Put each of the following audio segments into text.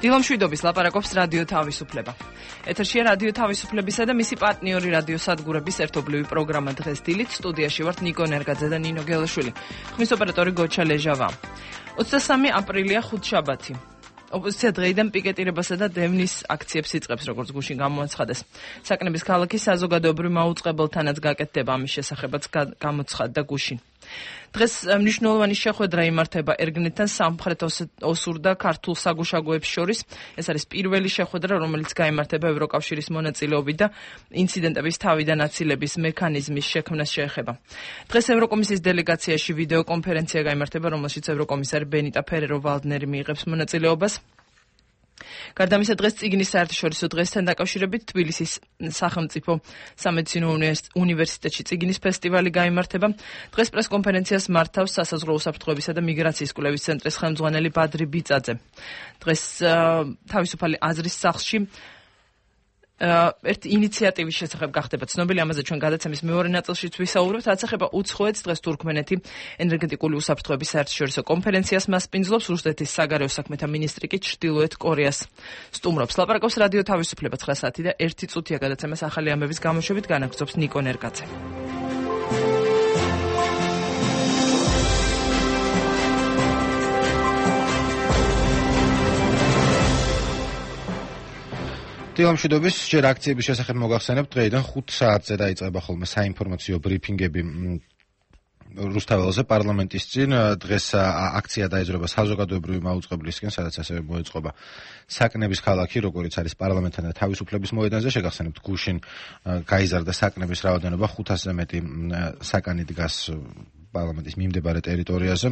დილამშვიდობის ლაპარაკობს რადიო თავისუფლება. ეთერშია რადიო თავისუფლებისა და მისი პარტნიორი რადიო სადგურების ერთობლივი პროგრამა დღეს დილით. სტუდიაში ვართ ნიკო ნერგაძე და ნინო გელაშვილი. ხმის ოპერატორი გოჩა ლეჟავა. 23 აპრილია ხუთშაბათი. ოპოზიცია დღეიდან პიკეტირებასა და დევნის აქციებს იწყებს, როგორც გუშინ გამოაცხადეს. საკნების ქალაქის საზოგადოებრივ მაუწყებელთანაც გაკეთდება, ამის შესახებაც გამოცხადდა გუშინ. დღეს მნიშვნელოვანი შეხვედრა იმართება ერგნეთთან სამხრეთ ოსურ და ქართულ საგუშაგოებს შორის. ეს არის პირველი შეხვედრა, რომელიც გაიმართება ევროკავშირის მონაწილეობით და ინციდენტების თავიდან აცილების მექანიზმის შექმნას შეეხება. დღეს ევროკომისიის დელეგაციაში ვიდეო კონფერენცია გაიმართება, რომელშიც ევროკომისარი ბენიტა ფერერო-ვალდნერი მიიღებს მონაწილეობას. გარდა ამისა, დღეს წიგნის საერთაშორისო დღესთან დაკავშირებით თბილისის სახელმწიფო სამედიცინო უნივერსიტეტში წიგნის ფესტივალი გაიმართება. დღეს პრესკონფერენციას მართავს სასაზღვრო უსაფრთხოებისა და მიგრაციის კვლევის ცენტრის ხელმძღვანელი ბადრი ბიწაძე. დღეს თავისუფალი აზრის სახლში ერთი ინიციატივის შესახებ გახდება ცნობილი, ამაზე ჩვენ გადაცემის მეორე ნაწილშიც ვისაუბრებთ. რაც ეხება უცხოეთს, დღეს თურქმენეთი ენერგეტიკული უსაფრთხოების საერთაშორისო კონფერენციას მასპინძლობს, რუსეთის საგარეო საქმეთა მინისტრი კი ჩრდილოეთ კორეას სტუმრობს. ლაპარაკობს რადიო თავისუფლება 9 საათი და 1 წუთია გადაცემას ახალი ამბების გამოშვებით განაგრძობს ნიკო ნერგაძე. დილამშვიდობის, ჯერ აქციების შესახებ მოგახსენებთ, დღეიდან 5 საათზე დაიწყება ხოლმე საინფორმაციო ბრიფინგები რუსთაველზე პარლამენტის წინ. დღეს აქცია დაიძრება საზოგადოებრივი მაუწყებლისკენ, სადაც ასევე მოეწყობა საკნების ქალაქი, როგორც არის პარლამენტთან და თავისუფლების მოედანზე. შეგახსენებთ, გუშინ გაიზარდა საკნების რაოდენობა, 500-ზე მეტი საკანი დგას პარლამენტის მიმდებარე ტერიტორიაზე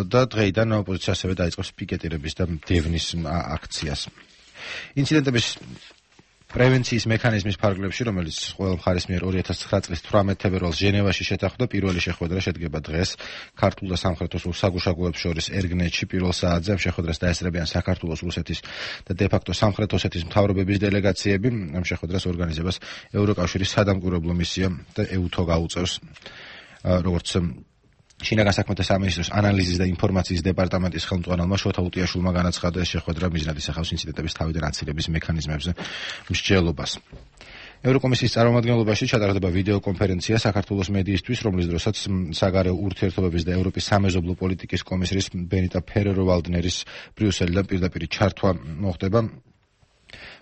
და დღეიდან ოპოზიცია ასევე დაიწყებს პიკეტირების და დევნის აქციას. ინციდენტების პრევენციის მექანიზმის ფარგლებში, რომელიც ყველა მხარის მიერ 2009 წლის 18 თებერვალს ჟენევაში შეთანხმდა, პირველი შეხვედრა შედგება დღეს ქართულ და სამხრეთ ოსურ საგუშაგოებს შორის ერგნეთში პირველ საათზე. ამ შეხვედრას დაესწრებიან საქართველოს, რუსეთის და დე-ფაქტო სამხრეთ ოსეთის მთავრობების დელეგაციები. ამ შეხვედრას ორგანიზებას ევროკავშირის სადამკვირვებლო მისია და ეუთო გაუწევს. როგორც შინაგან საქმეთა სამინისტროს ანალიზის და ინფორმაციის დეპარტამენტის ხელმძღვანელმა შოთა უტიაშვილმა განაცხადა, ეს შეხვედრა მიზნად ისახავს ინციდენტების თავიდან აცილების მექანიზმებზე მსჯელობას. ევროკომისიის წარმომადგენლობაში ჩატარდება ვიდეო კონფერენცია საქართველოს მედიისთვის, რომლის დროსაც საგარეო ურთიერთობების და ევროპის სამეზობლო პოლიტიკის კომისრის ბენიტა ფერერო-ვალდნერის ბრიუსელიდან პირდაპირ ჩართვა მოხდება.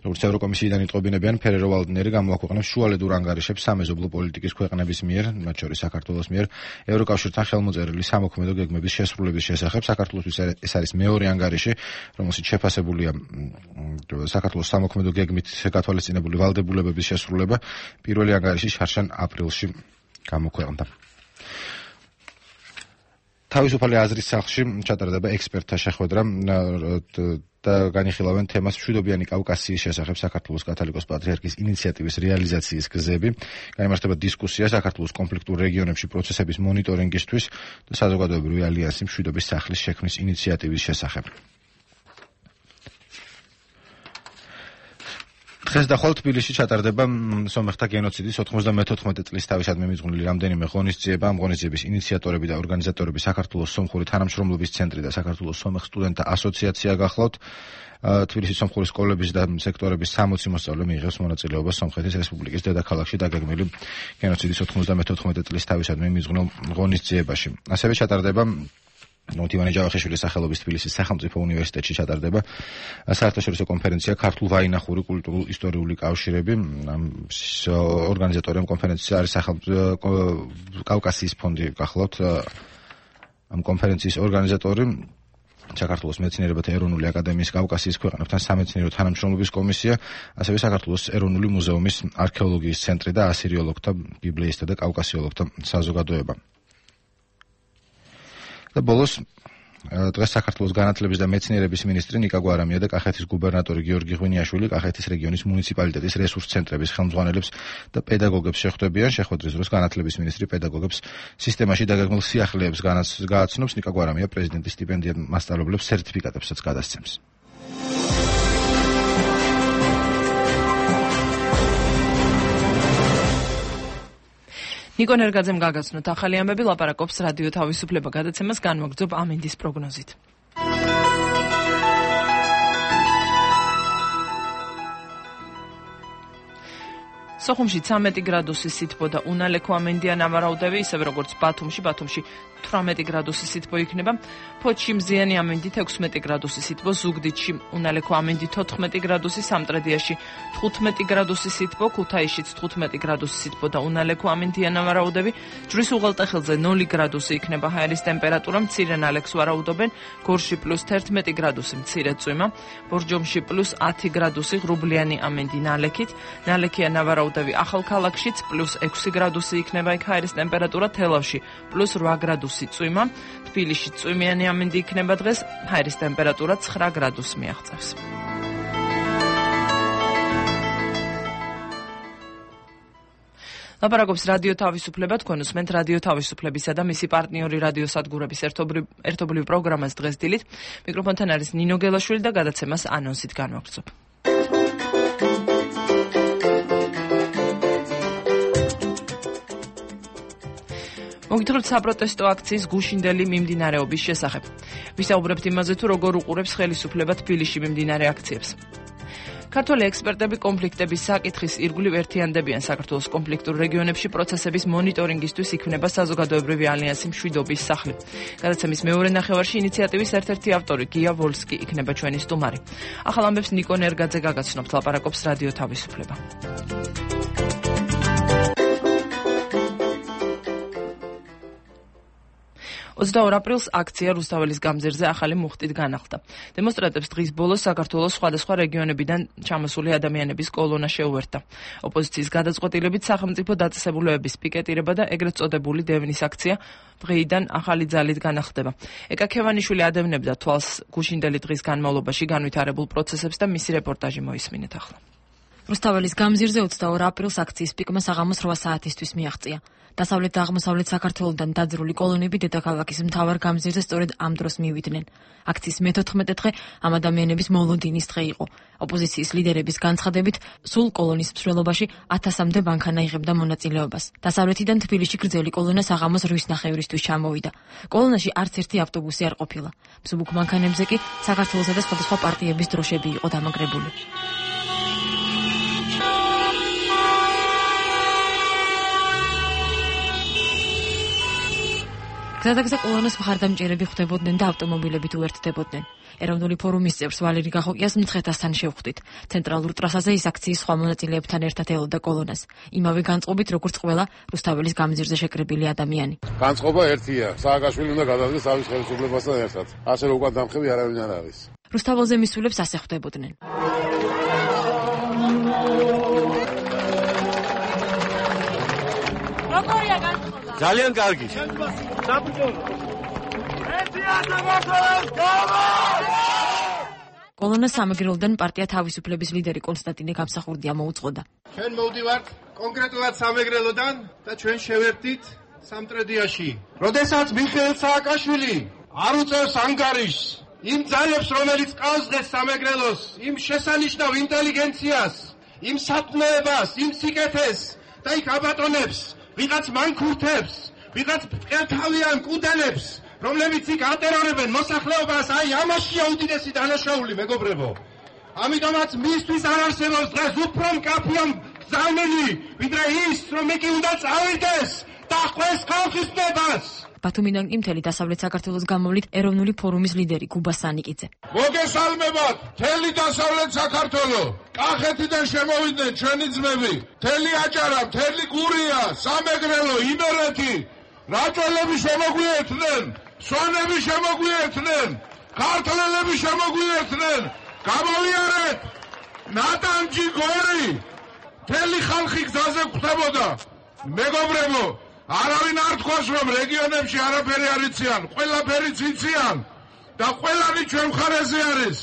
როგორც ევროკომისიიდან იტყობინებიან, ფერერო-ვალდნერი გამოაქვეყნებს შუალედურ ანგარიშებს სამეზობლო პოლიტიკის ქვეყნების მიერ, მათ შორის საქართველოს მიერ, ევროკავშირთან ხელმოწერილი სამოქმედო გეგმების შესრულების შესახებ. საქართველოსთვის ეს არის მეორე ანგარიში, რომელშიც შეფასებულია საქართველოს სამოქმედო გეგმით გათვალისწინებული ვალდებულებების შესრულება. პირველი ანგარიში შარშან აპრილში გამოქვეყნდა. თავისუფალი აზრის სახლში ჩატარდება ექსპერტთა შეხვედრა და განიხილავენ თემას მშვიდობიანი კავკასიის შესახებ საქართველოს კათოლიკოს პატრიარქის ინიციატივის რეალიზაციის გზები. გაიმართება დისკუსია საქართველოს კონფლიქტურ რეგიონებში პროცესების მონიტორინგისთვის და საზოგადოებრივი ალიანსი მშვიდობის სახლის შექმნის ინიციატივის შესახებ. დღეს და ხვალ თბილისში ჩატარდება სომეხთა გენოციდის 94 წლის თავისადმი მიძღვნილი რამდენიმე ღონისძიება. ამ ღონისძიების ინიციატორები და ორგანიზატორები საქართველოს სომხური თანამშრომლობის ცენტრი და საქართველოს სომეხ სტუდენტთა ასოციაცია გახლავთ. თბილისის სომხური სკოლების და სექტორების 60 მოსწავლე მიიღებს მონაწილეობას სომხეთის რესპუბლიკის დედაქალაქში დაგეგმილი გენოციდის 94 წლის თავისადმი მიძღვნილ ღონისძიებაში. ასევე ჩატარდება ივანე ჯავახიშვილის სახელობის თბილისის სახელმწიფო უნივერსიტეტში ჩატარდება საერთაშორისო კონფერენცია ქართულ-ვაინახური კულტურულ-ისტორიული კავშირები. ორგანიზატორი ამ კონფერენციის არის კავკასიის ფონდი გახლავთ. ამ კონფერენციის ორგანიზატორი საქართველოს მეცნიერებათა ეროვნული აკადემიის კავკასიის ქვეყნებთან სამეცნიერო თანამშრომლობის კომისია, ასევე საქართველოს ეროვნული მუზეუმის არქეოლოგიის ცენტრი და ასირიოლოგთა, ბიბლიისტთა და კავკასიოლოგთა საზოგადოება. და ბოლოს დღეს საქართველოს განათლების და მეცნიერების მინისტრი ნიკა გვარამია და კახეთის გუბერნატორი გიორგი ღვინიაშვილი კახეთის რეგიონის მუნიციპალიტეტის რესურს ცენტრების ხელმძღვანელებს და პედაგოგებს შეხვდებიან. შეხვედრის დროს განათლების მინისტრი პედაგოგებს სისტემაში დაგეგმილ სიახლეებს გააცნობს. ნიკა გვარამია პრეზიდენტის სტიპენდიად მასწავლებლებს სერტიფიკატებსაც გადასცემს. ნიკო ნერგაძემ გაგაცნოთ ახალი ამბები, ლაპარაკობს რადიო თავისუფლება გადაცემას განმოგრძობ ამინდის პროგნოზით. სოხუმში 13 გრადუსის სითბო და უნალექო ამინდია ნავარაუდები, ისევე როგორც ბათუმში 18 გრადუსის სითბო იქნება, ფოთში მზიანი ამინდით 16 გრადუსის სითბო, ზუგდიდში უნალექო ამინდით 14 გრადუსი, სამტრედიაში 15 გრადუსის სითბო, ქუთაისშიც 15 გრადუსის სითბო და უნალექო ამინდია ნავარაუდები, ჯვრის უღელტეხილზე 0 გრადუსი იქნება ჰაერის ტემპერატურა, მცირე ნალექს ვარაუდობენ, გორში +11 გრადუსი მცირე წვიმა, ბორჯომში +10 გრადუსი ღრუბლიანი ამინდი ნალექით, ნალექია ნავარაუდები ახალქალაქშიც +6 გრადუსი იქნება იქ ჰაერის ტემპერატურა, თელავში +8 გრადუსი წვიმა, თბილისში წვიმიანი ამინდი იქნება დღეს, ჰაერის ტემპერატურა 9 გრადუსს მიაღწევს. ლაპარაკობს რადიო თავისუფლება, თქვენ უსმენთ რადიო თავისუფლებისა და მისი პარტნიორი რადიო სადგურების ერთობლივ პროგრამას დღეს დილით. მიკროფონთან არის ნინო გელაშვილი და გადაცემას ანონსით განვაგრძობ. მოგითხრობთ საპროტესტო აქციის გუშინდელი მიმდინარეობის შესახებ. ვისაუბრებთ იმაზე, თუ როგორ უყურებს ხელისუფლება თბილისში მიმდინარე აქციებს. ქართველი ექსპერტები კონფლიქტების საკითხის ირგვლივ ერთიანდებიან. საქართველოს კონფლიქტურ რეგიონებში პროცესების მონიტორინგისთვის იქმნება საზოგადოებრივი ალიანსი მშვიდობის სახლი. გადაცემის მეორე ნახევარში ინიციატივის ერთ-ერთი ავტორი გია ვოლსკი იქნება ჩვენი სტუმარი. ახალ ამბებს ნიკო ნერგაძე გაგაცნობთ, ლაპარაკობს რადიო თავისუფლება. 22 აპრილს აქცია რუსთაველის გამზირზე ახალი მუხტით განახლდა. დემონსტრანტებს დღის ბოლოს საქართველოს სხვადასხვა რეგიონებიდან ჩამოსული ადამიანების კოლონა შეუერთდა. ოპოზიციის გადაწყვეტილებით სახელმწიფო დაწესებულებების პიკეტირება და ეგრეთ წოდებული დევნის აქცია დღეიდან ახალი ძალით განახლდება. ეკა ქევანიშვილი ადევნებდა თვალს გუშინდელი დღის განმავლობაში განვითარებულ პროცესებს და მისი რეპორტაჟი მოისმინეთ ახლა. რუსთაველის გამზირზე 22 აპრილს აქციის პიკმა საღამოს 8 საათისთვის მიაღწია. დასავლეთ და აღმოსავლეთ საქართველოდან დაძრული კოლონები დედაქალაქის მთავარ გამზირზე სწორედ ამ დროს მივიდნენ. აქციის მე-14 დღე ამ ადამიანების მოლოდინის დღე იყო. ოპოზიციის ლიდერების განცხადებით, სულ კოლონის მსვლელობაში 1000-მდე მანქანა იღებდა მონაწილეობას. დასავლეთიდან თბილისში გრძელი კოლონა საღამოს 8:30-ისთვის ჩამოვიდა. კოლონაში არც ერთი ავტობუსი არ ყოფილა. მსუბუქ მანქანებზე კი საქართველოსა და სხვადასხვა პარტიების დროშები იყო დამაგრებული. გზადაგზა კოლონას მხარდამჭერები ხვდებოდნენ და ავტომობილებით უერთდებოდნენ. ეროვნული ფორუმის წევრს ვალერი გახოკიას მცხეთასთან შევხვდით. ცენტრალურ ტრასაზე ის აქციის სხვა მონაწილეებთან ერთად ელოდა კოლონას. იმავე განწყობით, როგორც ყველა რუსთაველის გამზირზე შეკრებილი ადამიანი. განწყობა ერთია. სააკაშვილი უნდა გადადგეს თავის ხელისუფლებასთან ერთად. ასე რომ უკან დამხები არავინ არ არის. რუსთაველზე მისულებს ასე ხვდებოდნენ. როგორია განწყობა? ძალიან კარგი. კოლონა სამეგრელოდან პარტია თავისუფლების ლიდერი კონსტანტინე გამსახურდია მოუწყოდა. ჩვენ მოვდივართ კონკრეტულად სამეგრელოდან და ჩვენ შევერთდით სამტრედიაში. როდესაც მიხეილ სააკაშვილი არ უწევს ანგარიშს იმ ძალებს, რომელიც ყავს სამეგრელოს, იმ შესანიშნავ ინტელიგენციას, იმ სათნოებას, იმ სიკეთეს და იქ აბატონებს, ვიღაც მანქურთებს, ვიღაც მყელთავიან კუდელებს, რომლებიც იქ ატერორებენ მოსახლეობას, აი ამაშია უდიდესი დანაშაული, მეგობრებო. ამიტომაც მისთვის არ არსებობს დღეს უფრო მკაფიო გზავნილი, ვიდრე ის, რომ იგი უნდა წავიდეს და ხვდეს ხალხის ნებას. ბათუმიდან კი მთელი დასავლეთ საქართველოს გამოვლით ეროვნული ფორუმის ლიდერი გუბა სანიკიძე. მოგესალმებათ, მთელი დასავლეთ საქართველო. კახეთიდან შემოვიდნენ ჩვენი ძმები, მთელი აჭარა, მთელი გურია, სამეგრელო, იმერეთი, რაჭველები შემოგვიერთდნენ, სვანები შემოგვიერთდნენ, ქართველები შემოგვიერთდნენ. გამოვიარეთ, ნატანჯი გორი, მთელი ხალხი გზაზე ხვდებოდა. მეგობრებო, არავინ არ თქვას, რომ რეგიონებში არაფერი არ იციან, ყველაფერიც იციან და ყველანი ჩვენ მხარეზე არის.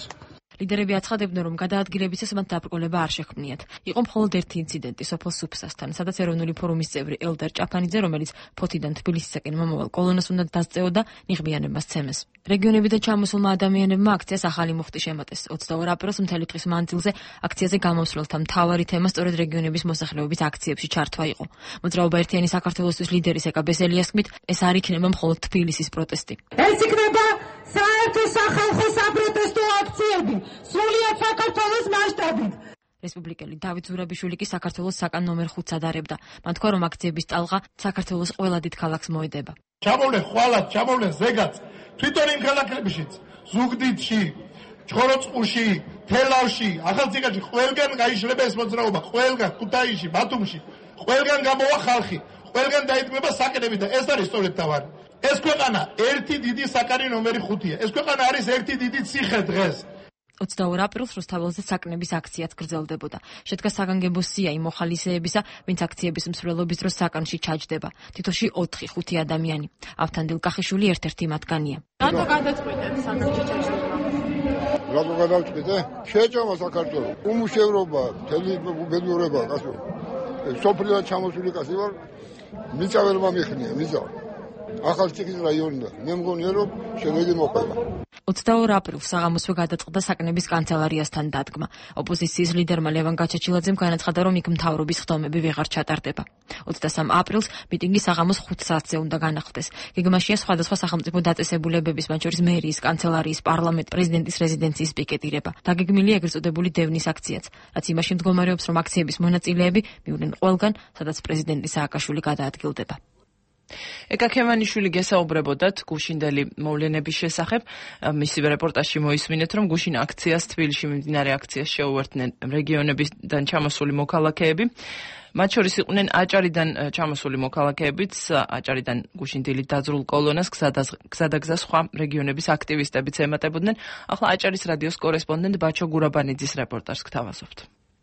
ლიდერები აცხადებდნენ, რომ გადაადგილებისას მათ დაბრკოლება არ შექმნიათ. იყო მხოლოდ ერთი ინციდენტი სოფელ სუფსასთან, სადაც ეროვნული ფორუმის წევრი ელდარ ჭაფანიძე, რომელიც ფოთიდან თბილისისაკენ მომავალ კოლონას უნდა დასწეოდა, ნიღბიანებას ცემეს. რეგიონებიდან ჩამოსულმა ადამიანებმა აქციას ახალი მუხტი შემატეს. 22 აპრილს მთელი დღის მანძილზე აქციაზე გამოსვლელთა მთავარი თემა სწორედ რეგიონების მოსახლეობის აქციებში ჩართვა იყო. მოძრაობა ერთიანი საქართველოსთვის ლიდერის ეკა ბესელიას თქმით, ეს არ იქნება მხოლოდ თბილისის პროტესტი. ეს იქნება საერთო სახალხო საპროტესტო აქციები, სრულიად საქართველოს მასშტაბით. რესპუბლიკელი დავით ზურაბიშვილი კი საქართველოს საკან ნომერ 5-ს ადარებდა. მან თქვა, რომ აქციების ტალღა საქართველოს ყველა დიდ ქალაქს მოედება. ჩამოვლენ ხვალად, ჩამოვლენ ზეგაც, თვითონ იმ ქალაქებშიც, ზუგდიდში, ჩხოროწყუში, თელავში, ახალციხეში, ყველგან გაიშლება ეს მოძრაობა, ყველგან ქუთაისში, ბათუმში, ყველგან გამოვა ხალხი, ყველგან დაიდგმება საკნები და ეს არის სწორედ თავარი. ეს ქვეყანა ერთი დიდი საკანი ნომერი 5-ია. ეს ქვეყანა არის ერთი დიდი ციხე დღეს. 22 აპრილს რუსთაველზე საკნების აქციაც გრძელდებოდა. შედგა საგანგებო სია იმ მოხალისეებისა, ვინც აქციების მსვლელობის დროს საკანში ჩაჯდება. თითოში 4-5 ადამიანი. ავთანდილ კახიშვილი ერთ-ერთი მათგანია. რატო გადაწყვეტეთ საკანში ჩაჯდება? რატო გადავწყვიტე? შეჭამა საქართველოს. უმუშევრობა, მთელი ბედნიერება, კაცო. სოფლიდან ჩამოსული კაცი ვარ. მიწა ვერ მომიხნია, მიწა. ახალციხის რაიონიდან. მე მგონია რომ შედეგი მოხდება. 22 აპრილს საღამოსვე გადაწყდა საკნების კანცელარიასთან დადგმა. ოპოზიციის ლიდერმა ლევან გაჩაჩილაძემ განაცხადა, რომ იქ მთავრობის ხდომები ვეღარ ჩატარდება. 23 აპრილს მიტინგი საღამოს 5 საათზე უნდა განახლდეს. გეგმაშია სხვადასხვა სახელმწიფო დაწესებულებების, მათ შორის მერიის, კანცელარიის, პარლამენტ, პრეზიდენტის რეზიდენციის პიკეტირება. დაგეგმილია ეგრეთ წოდებული დევნის აქციაც, რაც იმაში მდგომარეობს, რომ აქციების მონაწილეები მივიდნენ ყველგან, სადაც პრეზიდენტი სააკაშვილი გადაადგილდება. ეკა ქემანიშვილი გესაუბრებოდათ გუშინდელი მოვლენების შესახებ. მისივე რეპორტაჟში მოისმინეთ, რომ გუშინ აქციას თბილისში მიმდინარე აქციას შეუერთდნენ რეგიონებიდან ჩამოსული მოქალაქეები. მათ შორის იყვნენ აჭარიდან ჩამოსული მოქალაქეებიც, აჭარიდან გუშინდელი დაძრულ კოლონას გზადაგზა სხვა რეგიონების აქტივისტებიც ემატებოდნენ. ახლა აჭარის რადიოს კორესპონდენტ ბაჩო გურაბანიძის რეპორტაჟს გთავაზობთ.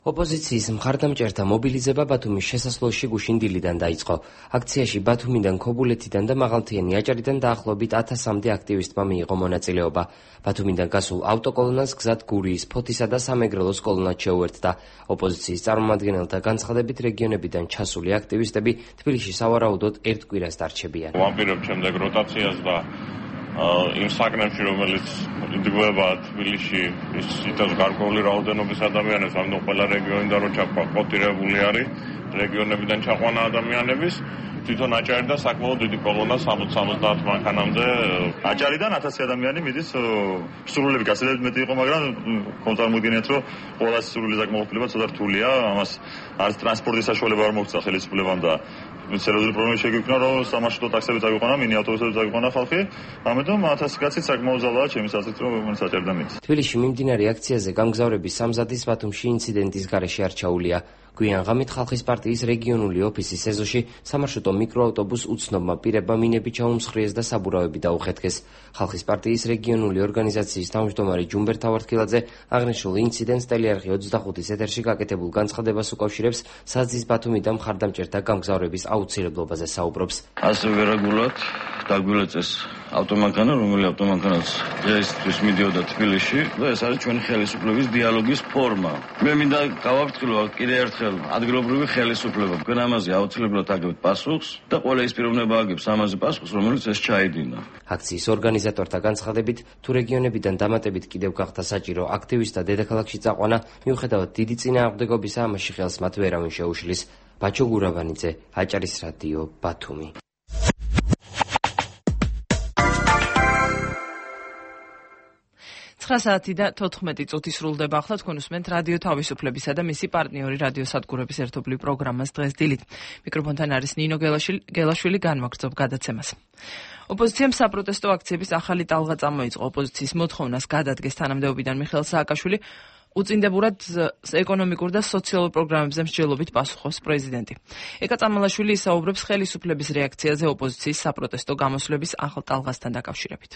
ოპოზიციის მხარდამჭერთა მობილიზება ბათუმის შესასვლელში გუშინდილიდან დაიწყო. აქციაში ბათუმიდან, ქობულეთიდან და მაღალთიანი აჭარიდან დაახლოებით 1000-მდე აქტივისტმა მიიღო მონაწილეობა. ბათუმიდან გასულ ავტოკოლონას გზად გურიის, ფოთისა და სამეგრელოს კოლონაც შეუერთდა. ოპოზიციის წარმომადგენელთა განცხადებით, რეგიონებიდან ჩასული აქტივისტები თბილისში სავარაუდოდ ერთ კვირას დარჩებიან. ვამპირებ შემდეგ როტაციას და იმ საკნებში, რომელიც იდგმება თბილისში, ის იტევს გარკვეული რაოდენობის ადამიანებს, ამიტომ ყველა რეგიონიდან რო ჩაკვოტირებული არის რეგიონებიდან ჩაყვანა ადამიანების, თვითონ აჭარიდან საკმაოდ დიდი კოლონა 60-70 მანქანამდე. აჭარიდან 1000 ადამიანი მიდის, სრულები გასაგებად მეტი იყო, მაგრამ წარმოგიდგენიათ, რომ ყველა სრული ზაკმაყოფილება ცოტა რთულია, ამას არის ტრანსპორტის საშუალება არ მოგცა ხელისუფლებამ და სერიოზული პრობლემა შეგვიქმნა, რომ სამარშრუტო ტაქსები წაგვიყვანა, მინი ავტობუსები წაგვიყვანა ხალხი, ამიტომ 1000 კაცი საკმაოდ ძალაა ჩემი აზრით, რომ აჭარიდან მიდის. თბილისში მიმდინარე აქციაზე გამგზავრების სამზადის ბათუმში ინციდენტის გარეშე არ ჩაულია. გვიან ღამით ხალხის პარტიის რეგიონული ოფისის ეზოში სამარშრუტო მიკროავტობუს უცნობმა პირებმა მინები ჩაუმსხვრიეს და საბურავები დაუხეთქეს. ხალხის პარტიის რეგიონული ორგანიზაციის თავმჯდომარე ჯუმბერ თავარქილაძე აღნიშნულ ინციდენტს ტელეარხი 25-ის ეთერში გაკეთებულ განცხადებას უკავშირებს საზის ბათუმიდან მხარდამჭერთა გამგზავრების აუცილებლობაზე საუბრობს. ასევე რეგულარულად დაგვილეწეს ავტომანქანა, რომელიც ავტომანქანაც დღეისთვის მიდიოდა თბილისში და ეს არის ჩვენი ხელისუფლების დიალოგის ფორმა. მე მინდა გავაფრთხილო კიდევ ერთხელ ადგილობრივი ხელისუფლება. თქვენ ამაზე აუცილებლად აგებთ პასუხს და ყველა ის პიროვნება აგებს ამაზე პასუხს, რომელიც ეს ჩაიდინა. აქციის ორგანიზატორთა განცხადებით, თუ რეგიონებიდან დამატებით კიდევ გახდა საჭირო აქტივისტთა დედაქალაქში წაყვანა, მიუხედავად დიდი წინააღმდეგობისა, ამაში ხელს მათ ვერავინ შეუშლის. ბაჩო გურაბანიძე, აჭარის რადიო, ბათუმი. საათი და 14 წუთი სრულდება. ახლა თქვენ უსმენთ რადიო თავისუფლებისა და მისი პარტნიორი რადიო სადგურების ერთობლივ პროგრამას დღეს დილით. მიკროფონთან არის ნინო გელაშვილი, განვაგრძობ გადაცემას. ოპოზიციამ საპროტესტო აქციების ახალი ტალღა წამოიწყო. ოპოზიციის მოთხოვნას გადადგეს თანამდებობიდან მიხეილ სააკაშვილი, უწინდებურად ეკონომიკურ და სოციალურ პროგრამებზე მსჯელობით პასუხობს პრეზიდენტი. ეკა წამალაშვილი ისაუბრებს ხელისუფლების რეაქციაზე ოპოზიციის საპროტესტო გამოსვლების ახალ ტალღასთან დაკავშირებით.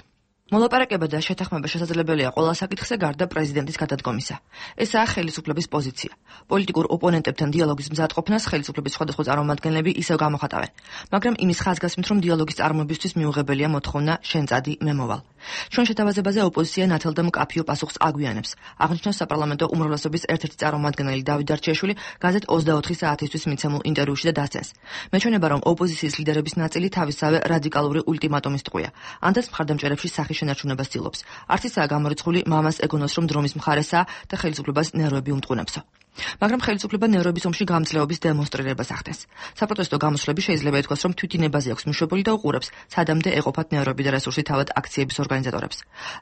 მოლაპარაკება და შეთანხმება შესაძლებელია ყველა საკითხზე გარდა პრეზიდენტის გადადგომისა. ესაა ხელისუფლების პოზიცია. პოლიტიკურ ოპონენტებთან დიალოგის მზადყოფნას ხელისუფლების სხვადასხვა წარმომადგენლები ისევ გამოხატავენ, მაგრამ იმის ხაზგასმით, რომ დიალოგის წარმოებისთვის მიუღებელია მოთხოვნა შენ წადი მე მოვალ. ჩვენ შეთავაზებაზე ოპოზიცია ნათელ და მკაფიო პასუხს აგვიანებს. აღნიშნავს საპარლამენტო უმრავლესობის ერთ-ერთი წარმომადგენელი დავით დარჩიაშვილი გაზეთ 24 საათისთვის მიცემულ ინტერვიუში და დასცენს. მეჩვენება, რომ ოპოზიციის ლიდერების ნაწილი თავისსავე რადიკალური ულტიმატუმის ტყვია. ანთაც მხარდამჭერებში სახის შენარჩუნებას ცდილობს. არც ისაა გამორიცხული მამას ეგონოს, რომ დრომის მხარესაა და ხელისუფლებას ნერვები უმტყუნებსო. მაგრამ ხელისუფლება ნევრების ომში გამძლეობის დემონსტრირებას ახდენს. საპროტესტო გამოსვლები შეიძლება ითქვას, რომ თვითინებაზე აქვს მიშვებული და უყურებს, სადამდე ეყოფათ ნევრები და რესურსი თავად აქციების ორგანიზატორებს.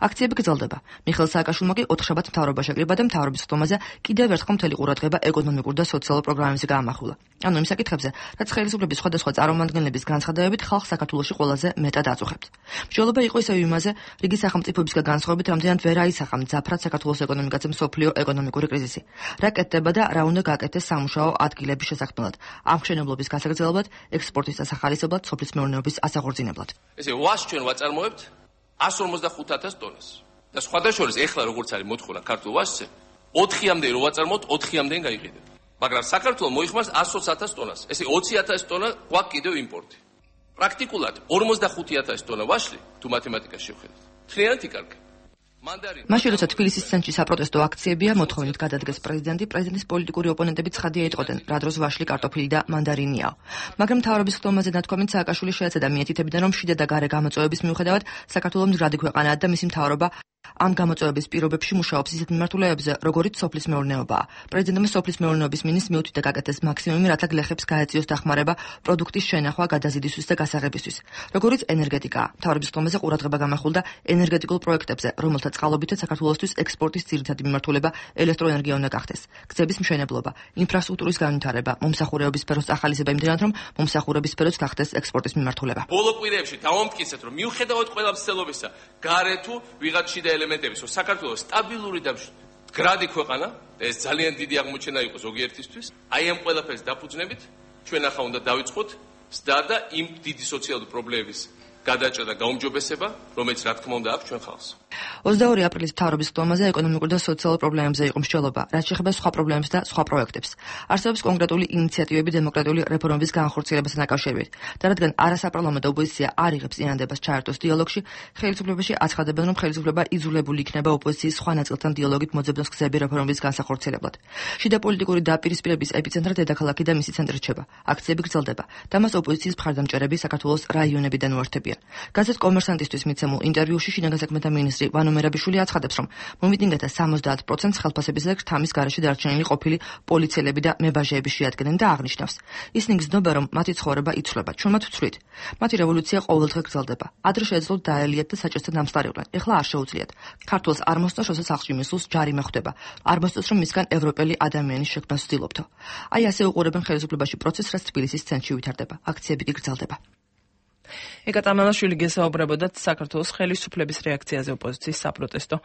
აქციები გრძელდება. მიხეილ სააკაშვილმა კი 4 შაბათს მთავრობა შეკრიბა და მთავრობის ხდომაზე კიდევ ერთხელ მთელი ყურადღება ეკონომიკურ და სოციალურ პროგრამებზე გაამახვილა. ანუ იმ საკითხებზე, რაც ხელისუფლების სხვადასხვა წარმომადგენლების განცხადებებით ხალხს საქართველოში ყველაზე მეტად აწუხებთ. მსჯელობა იყო ისევ იმაზე, რიგი სახელმწიფოებისგან განსხვავებით, რამდენად ვერ აისახა მძაფრად საქართველოს ეკონომიკაზე მსოფლიო ეკონომიკური კრიზისი. რა კეთდება და რა უნდა გაკეთდეს სამუშაო ადგილების შესაქმნელად, ამ მშენებლობის გასაგრძელებლად, ექსპორტის დასახალისებლად, სოფლის მეურნეობის ასაღორძინებლად. ესე ვას ჩვენ ვაწარმოებთ 155,000 ტონას. და სხვადასხვა ეხლა როგორც არის მოთხოვნა ქართულ ვასზე, 4-მდე რო ვაწარმოებთ, 4-მდე გაიყიდება. მაგრამ საქართველოს მოიხმარს 120,000 ტონას. ესე 20,000 ტონა გვაქვს კიდევ იმპორტი. პრაქტიკულად 45,000 ტონა ვაშლი თუ მათემატიკას შევხედოთ. მთლიანად იკარგა. მაშინ როცა თბილისის ცენტრში საპროტესტო აქციებია, მოთხოვნით გადადგეს პრეზიდენტის პოლიტიკური ოპონენტები ცხადია იტყოდნენ, რა დროს ვაშლი, კარტოფილი და მანდარინია. მაგრამ მთავრობის ხდომაზე ნათქვამით სააკაშვილი შეეცადა მიეთითებიდან, რომ შიდა და გარე გამოწვევების მიუხედავად საქართველოს მდგრადი ქვეყანაა და მისი მთავრობა ამ გამოწვევების პირობებში მუშაობს ისეთ მიმართულებებზე, როგორიც სოფლის მეურნეობაა. პრეზიდენტმა სოფლის მეურნეობის მინისტრს მიუთითა გაკეთდეს მაქსიმუმი, რათა გლეხებს გაეწიოს დახმარება პროდუქტის შენახვა, გადაზიდისთვის და გასაღებისთვის. როგორიც ენერგეტიკაა. მთავრობის ხდომაზე ყურადღება გამახვილდა ენერგეტიკულ პროექტებზე, რომელთა წყალობითაც საქართველოსთვის ექსპორტის ძირითადი მიმართულება ელექტროენერგია უნდა გახდეს. გზების მშენებლობა, ინფრასტრუქტურის განვითარება, მომსახურების სფეროს ახალისება იმდენად, რომ მომსახურების სფეროც გახდეს ექსპორტის მიმართულება. ბოლო კვირებში დავამტკიცეთ, რომ მიუხედავად ყველა მცდელობისა, გარე თუ ვიღაც შიდა ელემენტების, რომ საქართველოს სტაბილური და მდგრადი ქვეყანა, ეს ძალიან დიდი აღმოჩენა იყო ზოგიერთისთვის. აი ამ ყველაფერს დაფუძნებით, ჩვენ ახლა უნდა დავიწყოთ სდა და იმ დიდი სოციალური პრობლემების გადაჭრა და გაუმჯობესება, რომელიც რა თქმა უნდა აქვს ჩვენ ხალხს. 22 აპრილის მთავრობის ხდომაზე ეკონომიკურ და სოციალურ პრობლემებზე იყო მსჯელობა, რაც შეეხება სხვა პრობლემებს და სხვა პროექტებს. არსებობს კონკრეტული ინიციატივები დემოკრატიული რეფორმების განხორციელებასთან დაკავშირებით. და რადგან არასაპარლამენტო ოპოზიცია არ იღებს წინადადებას ჩაერთოს დიალოგში, ხელისუფლებაში აცხადებენ, რომ ხელისუფლება იძულებული იქნება ოპოზიციის სხვა ნაწილთან დიალოგით მოძებნოს გზები რეფორმების განსახორციელებლად. შიდა პოლიტიკური დაპირისპირების ეპიცენტრად დედაქალაქი და მისი ცენტრი რჩება. აქციები გრძელდება და მას ოპოზიციის მხარდამჭერები საქართველოს რაიონებიდან უერთებიან. გაზეთ კომერსანტისთვის მიცემულ ინტერვიუში შინაგან საქმეთა მინისტრი ვანო მერაბიშვილი აცხადებს, რომ მომიტინგეთა 70%-ს ხელფასებისა და ქრთამის გარეშე დარჩენილი ყოფილი პოლიციელები და მებაჟეები შეადგენენ და აღნიშნავს. ისინი გრძნობა, რომ მათი ცხოვრება იცვლება, ჩვენმაც ვცვლით. მათი რევოლუცია ყოველდღე გრძელდება. ადრე შეეძლოთ დაელიათ და საჭესთან დამსწარიყვნენ. ეხლა არ შეუძლიათ. ქართულს არ მოსწონს, როცა სახლში მისულს ჯარიმა ხვდება. არ მოსწონს, რომ მისგან ევროპელი ადამიანის შექმნას ვცდილობთო. აი ასე უყურებენ ხელისუფლებაში პროცესს, რაც თბილისის ცენტრში ვითარდება. აქციები კი გრძელდება. ეკატამელაშვილი გესაუბრებოდათ საქართველოს ხელისუფლების რეაქციაზე ოპოზიციის საპროტესტო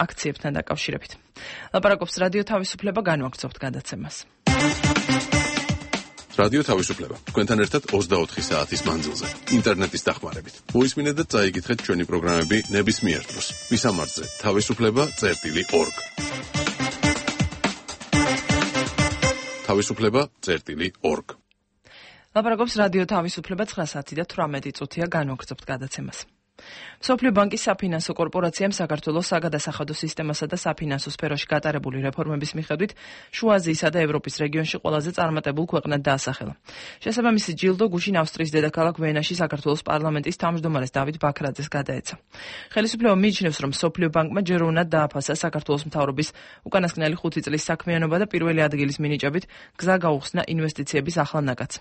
აქციებთან დაკავშირებით. ლაპარაკობს რადიო თავისუფლება, განვაგრძობთ გადაცემას. რადიო თავისუფლება. თქვენთან ერთად 24 საათის მანძილზე, ინტერნეტის დახმარებით. მოისმინეთ და წაიკითხეთ ჩვენი პროგრამები ნებისმიერ დროს. მისამართზე თავისუფლება.org. თავისუფლება.org. ლაპარაკობს რადიო თავისუფლება 9 საათი და 18 წუთია განვაგრძობთ გადაცემას. მსოფლიო ბანკის საფინანსო კორპორაციამ საქართველოს საგადასახადო სისტემასა და საფინანსო სფეროში გატარებული რეფორმების მიხედვით შუა აზიისა და ევროპის რეგიონში ყველაზე წარმატებულ ქვეყნად დაასახელა. შესაბამისი ჯილდო გუშინ ავსტრიის დედაქალაქ ვენაში საქართველოს პარლამენტის თავმჯდომარეს დავით ბაქრაძეს გადაეცა. ხელისუფლება მიიჩნევს, რომ მსოფლიო ბანკმა ჯერ უნდა დააფასა საქართველოს მთავრობის უკანასკნელი 5 წლის საქმიანობა და პირველი ადგილის მინიჭებით გზა გაუხსნა ინვესტიციების ახალ ნაკადს.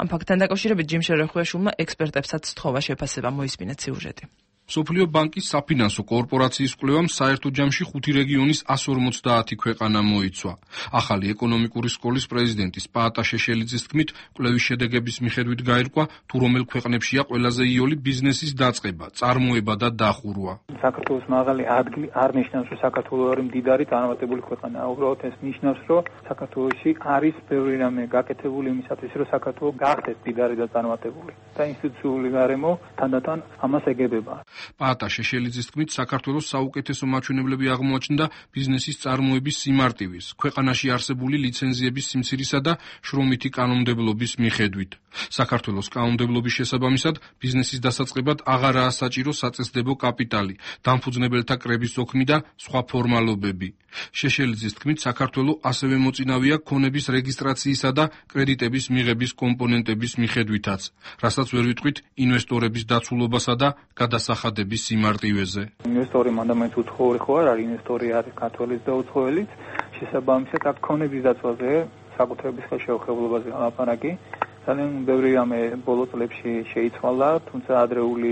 ამ ფაქტთან დაკავშირებით ჯიმ შერეხუაშვილმა ექსპერტებსაც სთხოვა შეფასება, მოისმინეთ სიუჟეტი. მსოფლიო ბანკის საფინანსო კორპორაციის კვლევამ საერთო ჯამში 5 რეგიონის 150 ქვეყანა მოიცვა. ახალი ეკონომიკური სკოლის პრეზიდენტის პაატა შეშელიძის თქმით, კვლევის შედეგების მიხედვით გაირკვა, თუ რომელ ქვეყნებშია ყველაზე იოლი ბიზნესის დაწყება, წარმოება და დახურვა. საქართველოს მაღალი ადგილი არ ნიშნავს, რომ საქართველოს არის მდიდარი წარმატებული ქვეყანა. უბრალოდ ეს ნიშნავს, რომ საქართველოში არის ბევრი რამე გაკეთებული იმისათვის, რომ საქართველო გახდეს მდიდარი და წარმატებული. და ინსტიტუციური გარემო თანდათან ამას ეგებება. პაატა შეშელიძის თქმით, საქართველოს საუკეთესო მაჩვენებლები აღმოაჩნდა ბიზნესის წარმოების სიმარტივის, ქვეყანაში არსებული ლიცენზიების სიმცირისა და შრომითი კანონმდებლობის მიხედვით. საქართველოს კანონმდებლობის შესაბამისად ბიზნესის დასაწყებად აღარაა საჭირო საწესდებო კაპიტალი, დამფუძნებელთა კრების ოქმი და სხვა ფორმალობები. შეშელიძის თქმით, საქართველოს ასევე მოწინავეა ქონების რეგისტრაციისა და კრედიტების მიღების კომპონენტების მიხედვითაც, რასაც ვერ ვიტყვით ინვესტორების დაცულობასა და გადასახადების სიმარტივეზე. ინვესტორი მანდამაინც უცხოური ხო არ არის, ინვესტორი არის ქართველიც და უცხოელიც. შესაბამისად აქ ქონების დაცვაზე, საკუთრების ხელშეუხებლობაზე ლაპარაკი. ძალიან ბევრი რამე ბოლო წლებში შეიცვალა, თუმცა ადრეული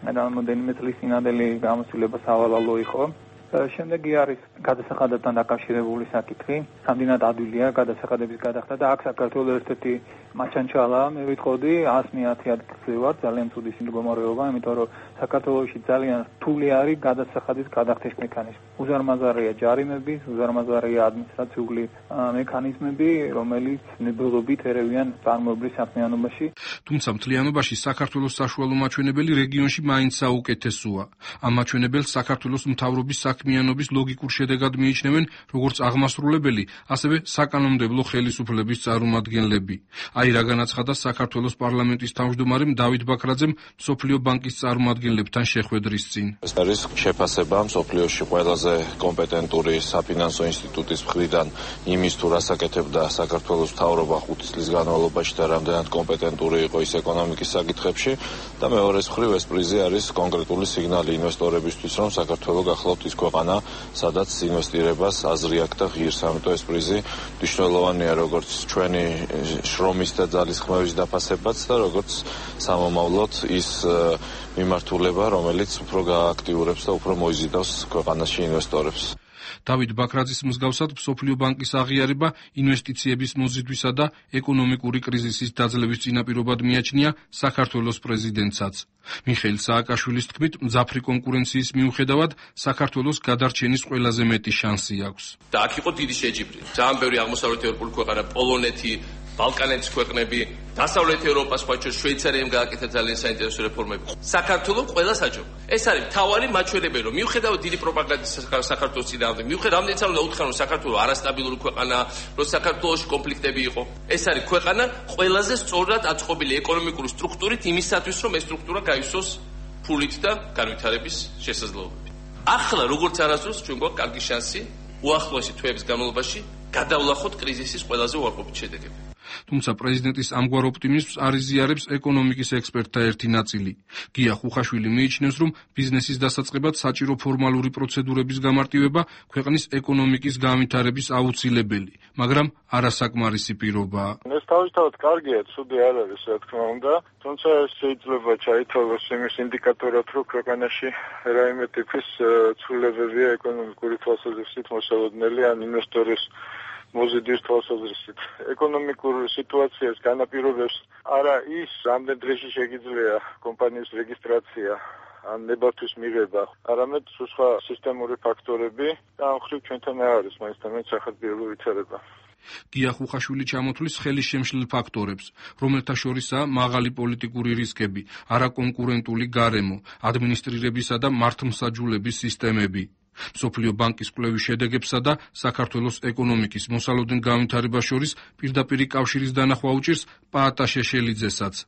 რამდენიმე წლის წინანდელი გამოცდილება სავალალო იყო. შემდეგი არის გადასახადებთან დაკავშირებული საკითხი. სამდენად ადვილია გადასახადების გადახდა და აქ საქართველოს ერთ-ერთი მაჩანჩალა, მე ვიტყოდი 110 ადგილზე ვარ, ძალიან ცუდი მდგომარეობა, იმიტომ რომ საქართველოში ძალიან რთული არის გადასახადის გადახდის მექანიზმი. უზარმაზარია ჯარიმები, უზარმაზარია ადმინისტრაციული მექანიზმები, რომელიც ნებელობით ერევიან წარმოებრივ საქმიანობაში. თუმცა მთლიანობაში საქართველოს საშუალო მაჩვენებელი რეგიონში მაინც საუკეთესოა. ამ მაჩვენებელს საქართველოს მთავრობის საქმიანობის ლოგიკურ შედეგად მიიჩნევენ როგორც აღმასრულებელი, ასევე საკანონმდებლო ხელისუფლების წარმომადგენლები. აი რა განაცხადა საქართველოს პარლამენტის თავმჯდომარემ დავით ბაქრაძემ მსოფლიო ბანკის წარმომადგენლებთან შეხვედრის წინ. ეს არის შეფასება მსოფლიოში ყველაზე კომპეტენტური საფინანსო ინსტიტუტის მხრიდან იმის თუ რას აკეთებდა საქართველოს მთავრობა 5 წლის განმავლობაში და რამდენად კომპეტენტური იყო ის ეკონომიკის საკითხებში და მეორეს მხრივ ეს პრიზი არის კონკრეტული სიგნალი ინვესტორებისთვის, რომ საქართველო გახლავთ ის ქვეყანა, სადაც ინვესტირებას აზრი აქვს და ღირს, ამიტომ ეს პრიზი მნიშვნელოვანია როგორც ჩვენი შრომის და ძალისხმევის დაფასებაც და როგორც სამომავლოდ ის მიმართულება, რომელიც უფრო გააქტიურებს და უფრო მოიზიდავს ქვეყანაში ინვესტორებს. დავით ბაქრაძის მსგავსად მსოფლიო ბანკის აღიარება ინვესტიციების მოზიდვისა და ეკონომიკური კრიზისის დაძლევის წინაპირობად მიაჩნია საქართველოს პრეზიდენტსაც. მიხეილ სააკაშვილის თქმით, მძაფრი კონკურენციის მიუხედავად საქართველოს გადარჩენის ყველაზე მეტი შანსი აქვს. და აქ იყო დიდი შეჯიბრი. ძალიან ბევრი აღმოსავლეთ ევროპული ქვეყანა, პოლონეთი, ბალკანეთის ქვეყნები, დასავლეთ ევროპა, სხვა შორის შვეიცარიამ გააკეთა ძალიან საინტერესო რეფორმები. საქართველოს ყველა საჯო. ეს არის მთავარი მაჩვენებელი, რომ მიუხედავად დიდი პროპაგანდის საქართველოს წინააღმდეგ, მიუხედავად რამდენიც არ უნდა უთხრა, რომ საქართველოს არასტაბილური ქვეყანაა, რომ საქართველოში კონფლიქტები იყო. ეს არის ქვეყანა ყველაზე სწორად აწყობილი ეკონომიკური სტრუქტურით იმისათვის, რომ ეს სტრუქტურა გაივსოს ფულით და განვითარების შესაძლებლობებით. ახლა როგორც არასდროს ჩვენ გვაქვს კარგი შანსი უახლოესი თვეების განმავლობაში გადავლახოთ კრიზისის ყველაზე უარყოფით შედეგები. თუმცა პრეზიდენტის ამგვარ ოპტიმიზმს არ იზიარებს ეკონომიკის ექსპერტთა ერთი ნაწილი. გია ხუხაშვილი მიიჩნევს, რომ ბიზნესის დასაწყებად საჭირო ფორმალური პროცედურების გამარტივება ქვეყნის ეკონომიკის განვითარების აუცილებელი, მაგრამ არასაკმარისი პირობაა. ეს თავისთავად კარგია, ცუდი არ არის, რა თქმა უნდა, თუმცა ეს შეიძლება ჩაითვალოს იმის ინდიკატორად, რომ ქვეყანაში რაიმე ტიპის ცვლილებებია ეკონომიკური თვალსაზრისით მოსალოდნელი ან ინვესტორის მოზიდვის თვალსაზრისით. ეკონომიკურ სიტუაციას განაპირობებს არა ის, რამდენ დღეში შეგიძლია კომპანიის რეგისტრაცია ან ნებართვის მიღება, არამედ სხვა სისტემური ფაქტორები და ამ ხრივ ჩვენთან არ არის მაინც და მაინც სახალხო ვითარება. გია ხუხაშვილი ჩამოთვლის ხელისშემშლელ ფაქტორებს, რომელთა შორისაა მაღალი პოლიტიკური რისკები, არაკონკურენტული გარემო, ადმინისტრირებისა და მართლმსაჯულების სისტემები. მსოფლიო ბანკის კვლევის შედეგებსა და საქართველოს ეკონომიკის მოსალოდნელ განვითარებას შორის პირდაპირი კავშირის დანახვა უჭირს პაატა შეშელიძესაც.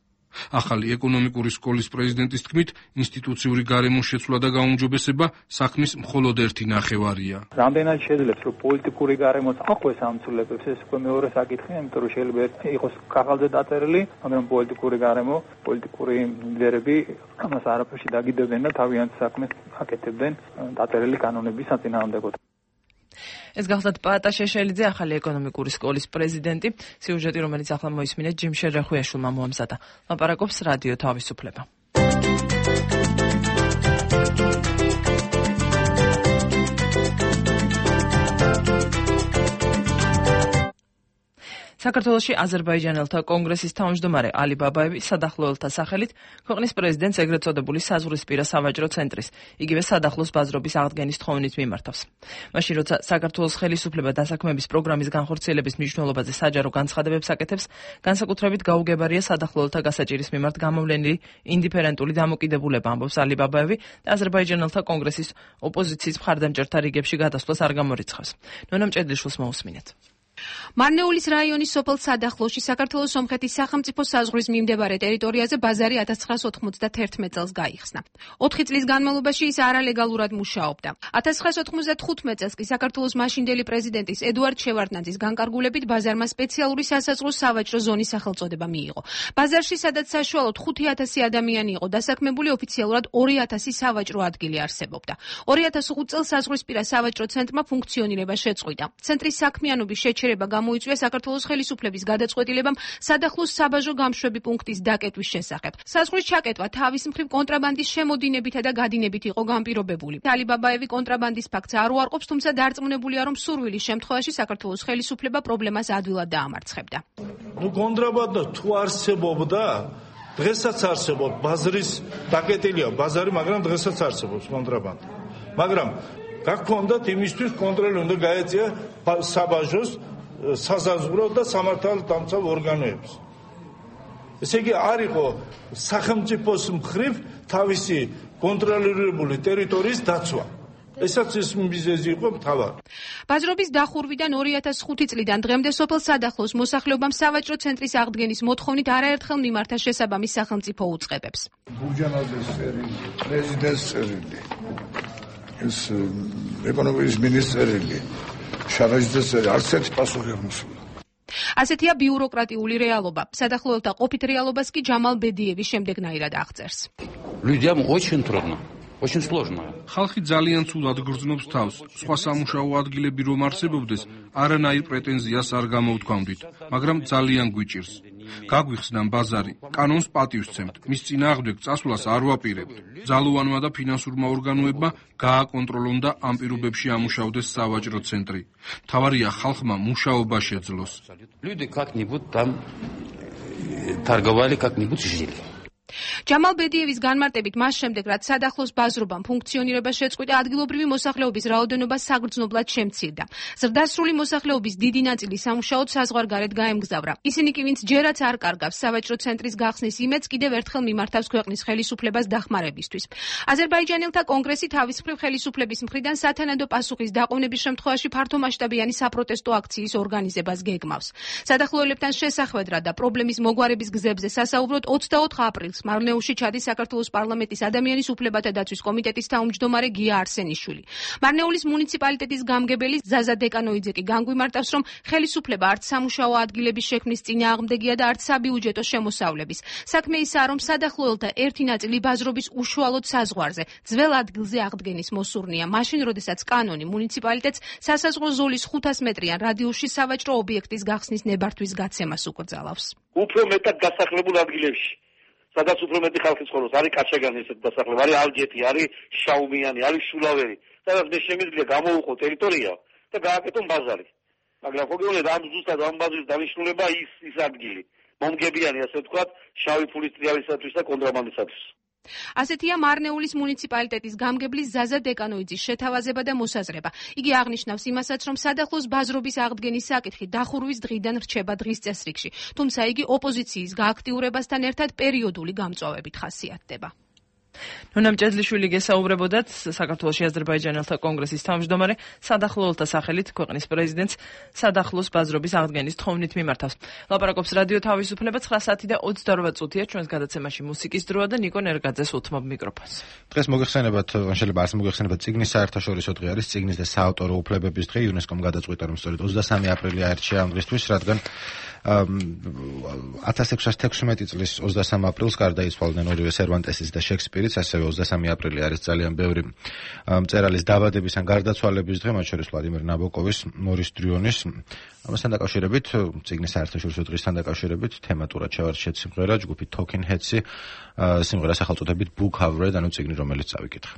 ახალი ეკონომიკური სკოლის პრეზიდენტის თქმით, ინსტიტუციური გარემოს შეცვლა და გაუმჯობესება საქმის მხოლოდ ერთი ნახევარია. რამდენად შეძლებს, რომ პოლიტიკური გარემოს აყვეს ამ ცვლილებებს, ეს უკვე მეორე საკითხია, იმიტომ რომ შეიძლება იყოს ქაღალდზე დაწერილი, მაგრამ პოლიტიკური გარემო, პოლიტიკური ლიდერები ამას არაფერში დაგიდებდნენ და თავიანთ საქმეს აკეთებდნენ დაწერილი კანონების საწინააღმდეგოდ. ეს გახლდათ პაატა შეშელიძე, ახალი ეკონომიკური სკოლის პრეზიდენტი. სიუჟეტი, რომელიც ახლა მოისმინეთ, ჯიმშერ რახვიაშვილმა მოამზადა. ლაპარაკობს რადიო თავისუფლება. საქართველოში აზერბაიჯანელთა კონგრესის თავმჯდომარე ალი ბაბაევი სადახლოელთა სახელით ქვეყნის პრეზიდენტს ეგრეთ წოდებული საზღვრისპირა სავაჭრო ცენტრის, იგივე სადახლოს ბაზრობის აღდგენის თხოვნით მიმართავს. მაშინ როცა საქართველოს ხელისუფლება დასაქმების პროგრამის განხორციელების მნიშვნელობაზე საჯარო განცხადებებს აკეთებს, განსაკუთრებით გაუგებარია სადახლოელთა გასაჭირის მიმართ გამოვლენილი ინდიფერენტული დამოკიდებულება, ამბობს ალი ბაბაევი და აზერბაიჯანელთა კონგრესის ოპოზიციის მხარდამჭერთა რიგებში გადასვლას არ გამორიცხავს. ნონა მჭედლიშვილს მოусმინეთ. მარნეულის რაიონის სოფელ სადახლოში საქართველოს სომხეთის სახელმწიფო საზღვრის მიმდებარე ტერიტორიაზე ბაზარი 1991 წელს გაიხსნა. 4 წლის განმავლობაში ის არალეგალურად მუშაობდა. 1995 წელს კი საქართველოს მაშინდელი პრეზიდენტის ედუარდ შევარდნაძის განკარგულებით ბაზარმა სპეციალური სასაზღვრო სავაჭრო ზონის სახელწოდება მიიღო. ბაზარში, სადაც საშუალოდ 5000 ადამიანი იყო დასაქმებული, ოფიციალურად 2000 სავაჭრო ადგილი არსებობდა. 2005 წელს საზღვრისპირა სავაჭრო ცენტრმა ფუნქციონირება შეწყვიტა. ცენტრის საქმიანობის შეჩერება გამოიწვია საქართველოს ხელისუფლების გადაწყვეტილებამ სადახლოს საბაჟო გამშვები პუნქტის დაკეტვის შესახებ. საზღვრის ჩაკეტვა თავის მხრივ კონტრაბანდის შემოდინებითა და გადინებით იყო განპირობებული. ალიბაბაევი კონტრაბანდის ფაქტს არ უარყოფს, თუმცა დარწმუნებულია, რომ სურვილის შემთხვევაში საქართველოს ხელისუფლება პრობლემას ადვილად დაამარცხებდა. კონტრაბანდა თუ არსებობდა, დღესაც არსებობს ბაზრის დაკეტილია ბაზარი, მაგრამ დღესაც არსებობს კონტრაბანდა. მაგრამ გაქონდათ იმისთვის კონტროლი უნდა გაეწია საბაჟოს, საზაზღვრო და სამართალდამცავ ორგანოებს. ესე იგი არ იყო სახელმწიფოს მხრივ თავისი კონტროლირებული ტერიტორიის დაცვა. ესაც ის მიზეზი იყო მთავარი. ბაზრობის დახურვიდან 2005 წლიდან დღემდე სოფელ სადახლოს მოსახლეობამ სავაჭრო ცენტრის აღდგენის მოთხოვნით არაერთხელ მიმართა შესაბამის სახელმწიფო უწყებებს. ბურჯანაძის წერილი, პრეზიდენტის წერილი, ეს ეკონომიკის მინისტრელი, შარაჯიძეს არც ერთი პასუხი არ მოსულა. ასეთია ბიუროკრატიული რეალობა. სადახლოელთა ყოფით რეალობას კი ჯამალ ბედიევი შემდეგნაირად აღწერს. Людям очень трудно. Очень сложно. ხალხი ძალიან ცუდად გრძნობს თავს. სხვა სამუშაო ადგილები რომ არსებობდეს, არანაირ პრეტენზიას არ გამოუთქვამდით, მაგრამ ძალიან გვიჭირს. გაგვიხსნან ბაზარი, კანონს პატივსცემთ, მის წინააღმდეგ წასვლას არ ვაპირებთ. ძალოვანმა და ფინანსურმა ორგანოებმა გააკონტროლონ და ამ პირობებში ამუშავდეს სავაჭრო ცენტრი. მთავარია ხალხმა მუშაობა შეძლოს. Люди как-нибудь там торговали, как-нибудь жили. ჯამალ ბედიევის განმარტებით მას შემდეგ, რაც სადახლოს ბაზრობამ ფუნქციონირება შეწყვიტა, ადგილობრივი მოსახლეობის რაოდენობა საგრძნობლად შემცირდა. ზრდასრული მოსახლეობის დიდი ნაწილი სამუშაოდ საზღვარგარეთ გაემგზავრა. ისინი კი, ვინც ჯერაც არ კარგავს სავაჭრო ცენტრის გახსნის იმედს, კიდევ ერთხელ მიმართავს ქვეყნის ხელისუფლებას დახმარებისთვის. აზერბაიჯანელთა კონგრესი თავის მხრივ ხელისუფლების მხრიდან სათანადო პასუხის დაყოვნების შემთხვევაში ფართომასშტაბიანი საპროტესტო აქციის ორგანიზებას გეგმავს. სადახლოელებთან შესახვედრად და პრობლემის მოგვარების გზებზე სასაუბროდ 24 აპრილს მარნეულში ჩადის საქართველოს პარლამენტის ადამიანის უფლებათა დაცვის კომიტეტის თავმჯდომარე გია არსენიშვილი. მარნეულის მუნიციპალიტეტის გამგებელი ზაზა დეკანოიძე კი განგვიმარტავს, რომ ხელისუფლება არც სამუშაო ადგილების შექმნის წინააღმდეგია და არც საბიუჯეტო შემოსავლების. საქმე ისაა, რომ სადახლოელთა ერთი ნაწილი ბაზრობის უშუალოდ საზღვარზე, ძველ ადგილზე აღდგენის მოსურნია, მაშინ, როდესაც კანონი მუნიციპალიტეტს სასაზღვრო ზოლის 500 მეტრიან რადიუსში სავაჭრო ობიექტის გახსნის ნებართვის გაცემას უკრძალავს. უფრო მეტად დასახლებულ ადგილებში, სადაც უფრო მეტი ხალხი ცხოვრობს, არის კაჩაგანი ესეთი დასახლება, არის ალჯეთი, არის შაუმიანი, არის შულავერი, სადაც მე შემიძლია გამოვუყო ტერიტორია და გააკეთონ ბაზარი. მაგრამ ხო გეუბნებით, ამ ზუსტად ამ ბაზრის დანიშნულება ის ადგილი, მომგებიანი, ასე ვთქვათ, შავი ფულის ტრიალისათვის და კონტრაბანდისათვის. ასეთია მარნეულის მუნიციპალიტეტის გამგებლის ზაზა დეკანოიძის შეთავაზება და მოსაზრება. იგი აღნიშნავს იმასაც, რომ სადახლოს ბაზრობის აღდგენის საკითხი დახურვის დღიდან რჩება დღის წესრიგში, თუმცა იგი ოპოზიციის გააქტიურებასთან ერთად პერიოდული გამწვავებით ხასიათდება. ნონამ ჭედლიშვილი გესაუბრებოდათ საქართველოს აზერბაიჯანელთა კონგრესის თავმჯდომარე, სადახლოელთა სახელით ქვეყნის პრეზიდენტს სადახლოს ბაზრობის აღდგენის თხოვნით მიმართავს. ლაპარაკობს რადიო თავისუფლება 9:28 ჩვენს გადაცემაში მუსიკის დროა და ნიკო ნერგაძეს უთმობ მიკროფონს. დღეს მოგეხსენებათ, შეიძლება არც მოგეხსენებათ, წიგნის საერთაშორისო დღე არის, წიგნის და საავტორო უფლებების დღე. იუნესკომ გადაწყვიტა, რომ სწორედ 23 აპრილი აირჩია ამ დღისთვის, რადგან 1616 წლის 23 აპრილს გარდაიცვალნენ ორივე სერვანტესის და შექსპირიც, ასევე 23 აპრილი არის ძალიან ბევრი მწერალის დაბადების ან გარდაცვალების დღე, მათ შორის ვლადიმერ ნაბოკოვის, მორის დრიონის. ამასთან დაკავშირებით, წიგნის საერთაშორისო დღისთან დაკავშირებით, თემატურად შევარჩიეთ სიმღერა ჯგუფი Talking Heads-ი, სიმღერა სახელწოდებით Book Covered, ანუ წიგნი, რომელიც წავიკითხე.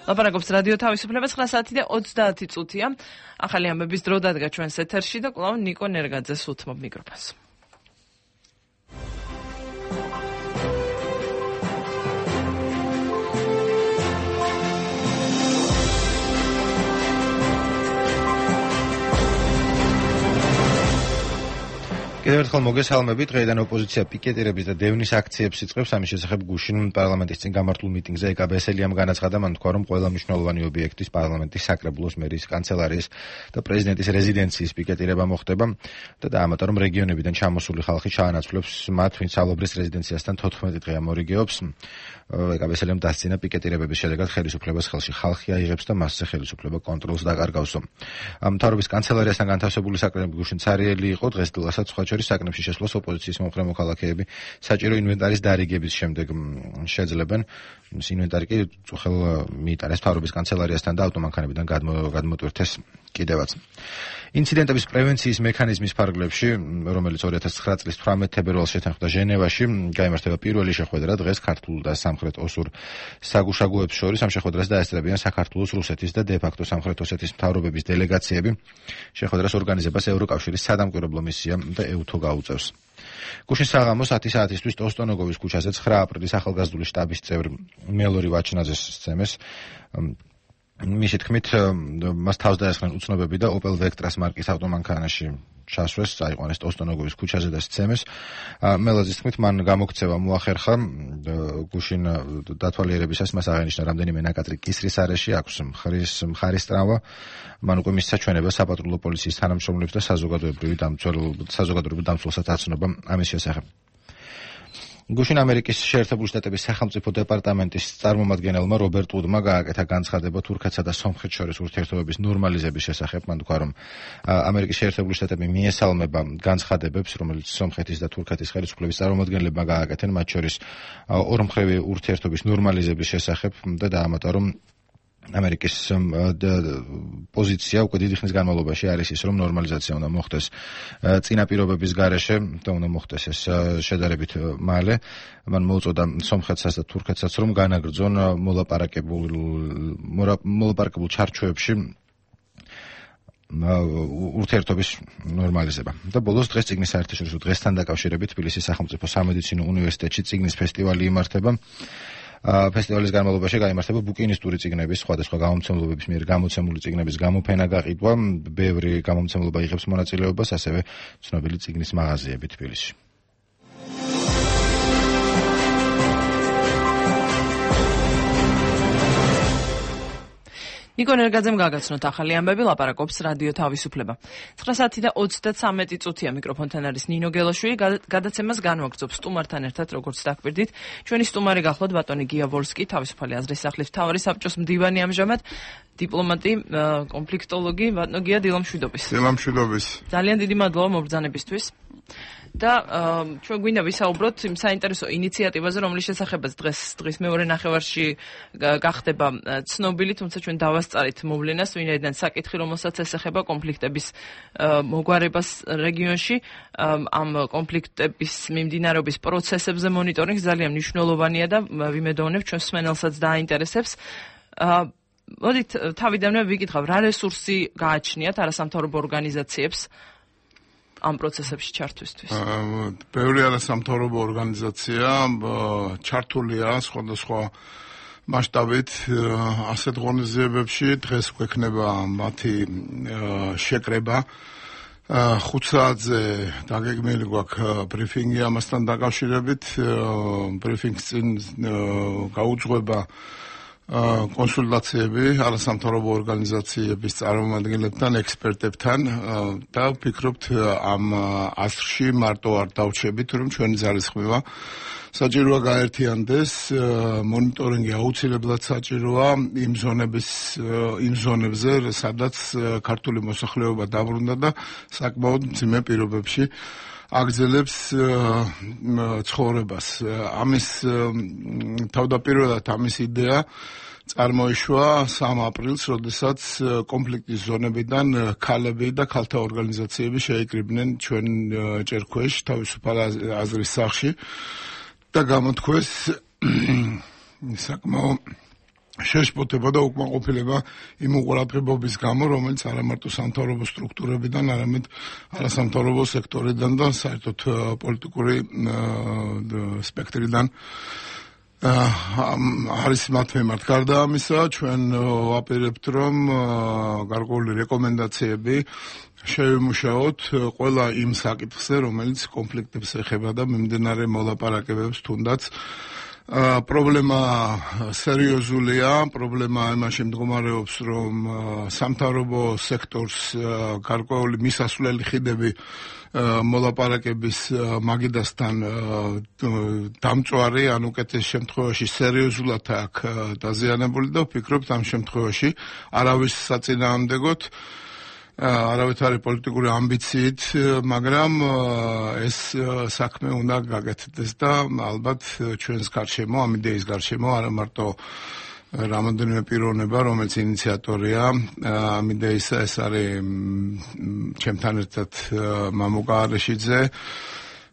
ლაპარაკობს რადიო თავისუფლება 9 საათი და 30 წუთია. ახალი ამბების დრო დადგა ჩვენს ეთერში და კვლავ ნიკო ნერგაძეს უთმობ მიკროფონს. კიდევ ერთხელ მოგესალმები. დღეიდან ოპოზიცია პიკეტირების და დევნის აქციებს იწყებს. ამის შესახებ გუშინ პარლამენტის წინ გამართულ მიტინგზე ეკა ბესელიამ განაცხადა, მან თქვა, რომ ყველა მნიშვნელოვანი ობიექტის პარლამენტის საკრებულოს, მერის კანცელარიის და პრეზიდენტის რეზიდენციის პიკეტირება მოხდება და დაამატა, რომ რეგიონებიდან ჩამოსული ხალხი ჩაანაცვლებს მათ, ვინც ალობრის რეზიდენციასთან 14 დღე ამორიგეობს. ეკა ბესელიამ დასცინა პიკეტირებების შედეგად ხელისუფლებას ხელში ხალხი აიღებს და მასზე ხელისუფლება კონტროლს დაკარგავსო. მთავრობის კანცელარიასთან განთავსებული საკრებულო გუშინ ცარიელი იყო. დღესდღესაც სხვა საკნებში შესვლას ოპოზიციის მომხრე მოქალაქეები საჭირო ინვენტარის დარიგების შემდეგ შეძლებენ. ინვენტარი კი წუხელ მიიტანეს მთავრობის კანცელარიასთან და ავტომანქანებიდან გადმოტვირთეს კიდევაც. ინციდენტების პრევენციის მექანიზმის ფარგლებში, რომელიც 2009 წლის 18 თებერვალს შეთანხმდა ჟენევაში, გაიმართება პირველი შეხვედრა დღეს ქართულ და სამხრეთ ოსურ საგუშაგოებს შორის. ამ შეხვედრას დაესწრებიან საქართველოს, რუსეთის და დე-ფაქტო სამხრეთ ოსეთის მთავრობების დელეგაციები. შეხვედრას ორგანიზებას ევროკავშირის სადამკვირვებლო მისია და EUTO გაუწევს. გუშინ საღამოს 10 საათისთვის ტოსტონოგოვის ქუჩაზე 9 აპრილის ახალგაზრდული შტაბის წევრ მელორი ვაჩნაძეს სცემეს. მისი თქმით, მას თავს დაესხნენ უცნობები და Opel Vectra მარკის ავტომანქანაში ჩასვეს, წაიყვანეს ტოსტონოგოვის ქუჩაზე და სცემეს. მელოძის თქმით, მან გამოქცევა მოახერხა. გუშინ დათვალიერებისას მას აღენიშნა რამდენიმე ნაკადრი კისრის არეში, აქვს მხარის ტრავმა. მან უკვე მისცა ჩვენება საპატრულო პოლიციის თანამშრომლებს და საზოგადოებრივი დამცველსაც აცნობა ამის შესახებ. გუშინ ამერიკის შეერთებული შტატების სახელმწიფო დეპარტამენტის წარმომადგენელმა რობერტ უდმა გააკეთა განცხადება თურქეთსა და სომხეთს შორის ურთიერთობების ნორმალიზების შესახებ. მან თქვა, რომ ამერიკის შეერთებული შტატები მიესალმება განცხადებებს, რომელიც სომხეთის და თურქეთის ხელისუფლების წარმომადგენლებმა გააკეთენ, მათ შორის ორმხრივი ურთიერთობის ნორმალიზების შესახებ და დაამატა, რომ ამერიკის პოზიცია უკვე დიდი ხნის განმავლობაში არის ის, რომ ნორმალიზაცია უნდა მოხდეს წინა პირობების გარეშე და უნდა მოხდეს ეს შედარებით მალე. მან მოუწოდა სომხეთსაც და თურქეთსაც, რომ განაგრძონ მოლაპარაკებულ ჩარჩოებში ურთიერთობის ნორმალიზება. და ბოლოს დღეს წიგნის საერთაშორისო დღესთან დაკავშირებით თბილისის სახელმწიფო სამედიცინო უნივერსიტეტში წიგნის ფესტივალი იმართება. ფესტივალის განმავლობაში გაიმართება ბუკინისტური წიგნების, სხვადასხვა გამომცემლობების მიერ გამოცემული წიგნების გამოფენა გაყიდვა. ბევრი გამომცემლობა იღებს მონაწილეობას, ასევე ცნობილი წიგნის მაღაზიები თბილისში. ნიკო ნერგაძემ გაგაცნოთ ახალი ამბები, ლაპარაკობს რადიო თავისუფლება. 9 საათი და 33 წუთია. მიკროფონთან არის ნინო გელაშვილი. გადაცემას განვაგრძობ სტუმართან ერთად, როგორც დაგვირდით. ჩვენი სტუმარი გახლავთ ბატონი გია ვოლსკი, თავისუფალი აზრის სახლის მთავარი საბჭოს მდივანი ამჟამად, დიპლომატი, კონფლიქტოლოგი. ბატონო გია, დილამშვიდობის. დილამშვიდობის. ძალიან დიდი მადლობა მობრძანებისთვის. და ჩვენ გვინდა ვისაუბროთ იმ საინტერესო ინიციატივაზე, რომლის შესახებაც დღის მეორე ნახევარში გახდება ცნობილი, თუმცა ჩვენ დავასწარით მოვლენას, ვინაიდან საკითხი, რომელსაც ესახება კონფლიქტების მოგვარებას რეგიონში, ამ კონფლიქტების მიმდინარეობის პროცესებზე მონიტორინგი ძალიან მნიშვნელოვანია და ვიმედოვნებ ჩვენ მსმენელსაც დააინტერესებს. მოდით თავიდანვე ვიკითხავ, რა რესურსი გააჩნიათ არასამთავრობო ორგანიზაციებს ამ პროცესებში ჩართვისთვის? ბევრი არასამთავრობო ორგანიზაცია ჩართულია სხვადასხვა მასშტაბით ასეთ ღონისძიებებში. დღეს გვექნება მათი შეკრება. 5 საათზე დაგეგმილი გვაქვს ბრიფინგი ამასთან დაკავშირებით. ბრიფინგს წინ გაუძღვება კონსულტაციები არასამთავრობო ორგანიზაციების წარმომადგენლებთან, ექსპერტებთან და ვფიქრობთ ამ ასრში მარტო არ დავჩებით, რომ ჩვენი ძალისხმევა საჭიროა გაერთიანდეს. მონიტორინგი აუცილებლად საჭიროა იმ ზონებზე, სადაც ქართული მოსახლეობა დაბრუნდა და საკმაოდ მძიმე პირობებში აგრძელებს ცხოვრებას. ამის თავდაპირველად ამის იდეა წარმოიშვა 3 აპრილს, როდესაც კონფლიქტის ზონებიდან ქალები და ქალთა ორგანიზაციები შეიკრიბნენ ჩვენ ჭერქვეშ თავისუფალ აზრის სახლში და გამოთქვეს საკმაოდ შეშფოთება და უკმაყოფილება იმ უყურადღებობის გამო, რომელიც არა მარტო სამთავრობო სტრუქტურებიდან, არამედ არასამთავრობო სექტორიდან და საერთოდ პოლიტიკური სპექტრიდან არის მათ მიმართ. გარდა ამისა, ჩვენ ვაპირებთ, რომ გარკვეული რეკომენდაციები შევიმუშაოთ ყველა იმ საკითხზე, რომელიც კონფლიქტებს ეხება და მიმდინარე მოლაპარაკებებს თუნდაც პრობლემა სერიოზულია, პრობლემა იმაში მდგომარეობს, რომ სამთავრობო სექტორს გარკვეული მისასვლელი ხიდები მოლაპარაკების მაგიდასთან დამწვარი, ან უკეთეს შემთხვევაში სერიოზულად აქვს დაზიანებული და ვფიქრობთ ამ შემთხვევაში არავის საწინააღმდეგოდ არავითარი პოლიტიკური ამბიციით, მაგრამ ეს საქმე უნდა გაკეთდეს და ალბათ ჩვენს გარშემო, ამ იდეის გარშემო არა მარტო რამოდენიმე პიროვნება, რომელიც ინიციატორია ამ იდეისა, ეს არის ჩემთან ერთად მამუკა არეშიძე,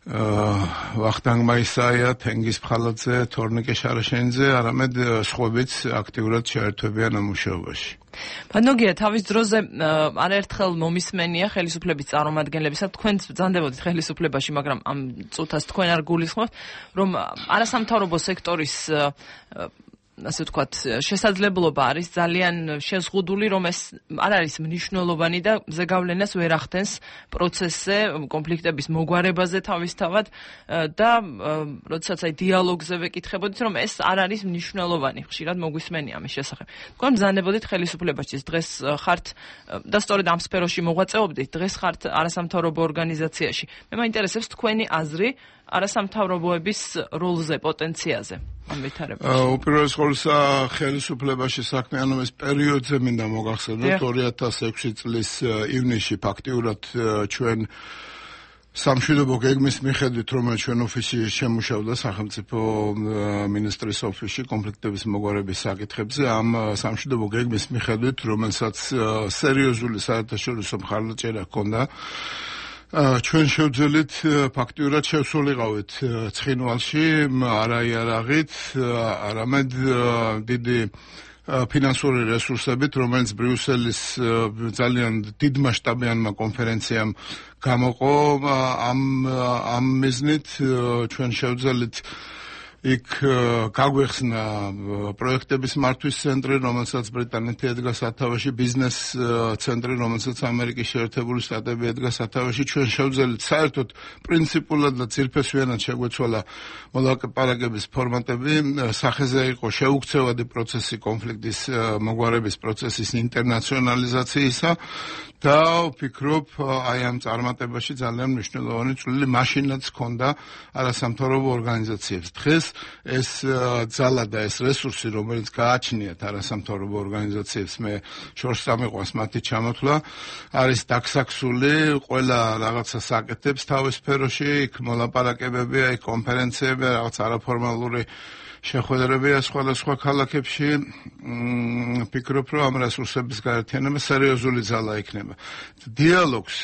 ვახტანგ მაისაია, თენგიზ ფხალაძე, თორნიკე შარაშენიძე, არამედ სხვებიც აქტიურად შეერთვებიან ამ მუშაობაში. ბანოგია, თავის დროზე არაერთხელ მომისმენია ხელისუფლების წარმომადგენლებისა, თქვენ ბრძანდებოდით ხელისუფლებაში, მაგრამ ამ წუთას თქვენ არ გულისხმობთ, რომ არასამთავრობო სექტორის ასე ვთქვათ, შესაძლებლობა არის ძალიან შეზღუდული, რომ ეს არ არის მნიშვნელოვანი და ზეგავლენას ვერ ახდენს პროცესზე, კონფლიქტების მოგვარებაზე თავისთავად და როდესაც აი დიალოგზე ვეკითხებოდით, რომ ეს არ არის მნიშვნელოვანი, ხშირად მოგვისმენია ამის შესახებ. თქვენ ბრძანდებოდით ხელისუფლებაში, დღეს ხართ და სწორედ ამ სფეროში მოღვაწეობდით, დღეს ხართ არასამთავრობო ორგანიზაციაში. მე მაინტერესებს თქვენი აზრი არასამთავრობოების როლზე, პოტენციალზე ამ ვითარებაში. უპირველეს ყოვლისა ხელისუფლებაში საქმიანობის პერიოდზე მინდა მოგახსენოთ 2006 წლის ივნისში ფაქტიურად ჩვენ სამშვიდობო გეგმის მიხედვით, რომელიც ჩვენ ოფისში შემუშავდა სახელმწიფო მინისტრის ოფისში კონფლიქტების მოგვარების საკითხებზე, ამ სამშვიდობო გეგმის მიხედვით, რომელსაც სერიოზული საერთაშორისო მხარდაჭერა ჰქონდა, ჩვენ შევძელით ფაქტიურად შევსულიყავით ცხინვალში, არა იარაღით, არამედ დიდი ფინანსური რესურსებით, რომელიც ბრიუსელის ძალიან დიდმასშტაბიანმა კონფერენციამ გამოყო, ამ მიზნით ჩვენ შევძელით იქ გაგვეხსნა პროექტების მართვის ცენტრი, რომელსაც ბრიტანეთი ედგა სათავეში, ბიზნეს ცენტრი, რომელსაც ამერიკის შეერთებული შტატები ედგა სათავეში. ჩვენ შევძელით საერთოდ პრინციპულად და ძირფესვიანად შეგვეცვალა მოლაპარაკების ფორმატები, სახეზე იყო შეუქცევადი პროცესი კონფლიქტის მოგვარების პროცესის ინტერნაციონალიზაციისა და ვფიქრობ, აი ამ წარმატებაში ძალიან მნიშვნელოვანი წვლილი მაშინაც ჰქონდა არასამთავრობო ორგანიზაციებს. დღეს ეს ძალა და ეს რესურსი, რომელიც გააჩნიათ არასამთავრობო ორგანიზაციებს, მე შორს წამიყვანს მათი ჩამოთვლა, არის დაქსაქსული, ყველა რაღაცა საკეთებს თავის სფეროში, იქ მოლაპარაკებებია, იქ კონფერენციებია, რაღაც არაფორმალური შეხვედრებია სხვადასხვა ქალაქებში. ვფიქრობ, რომ ამ რესურსების გაერთიანება სერიოზული ძალა იქნება. დიალოგს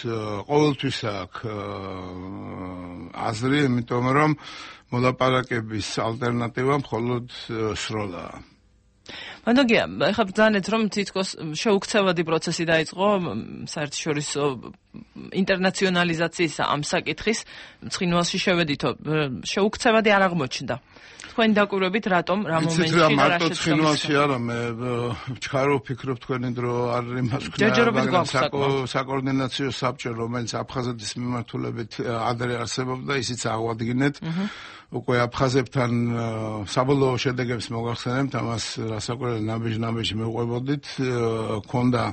ყოველთვის აქვს აზრი, იმიტომ რომ მოლაპარაკების ალტერნატივა მხოლოდ სროლაა. მანდოგია, ეხლა ბრძანეთ, რომ თითქოს შეუქცევადი პროცესი დაიწყო საერთაშორისო ინტერნაციონალიზაციის ამ საკითხის ცხინვალში შევედითო, შეუქცევადი არ აღმოჩნდა. თქვენ დაკვირვებით რატომ რა მომენტში და რა მარტო ცხინვალში არა, მე ვჩქარო ვფიქრობ თქვენი დრო არ იმას ვქნა, საკოორდინაციო საბჭო, რომელიც აფხაზეთის მიმართულებით ადრე არსებობდა, ისიც აღვადგინეთ. უკვე აფხაზებთან საბოლოო შედეგებს მოგახსენებთ, ამას რასაკვირველი ნაბიჯ-ნაბიჯ მივყვებოდით, ქონდა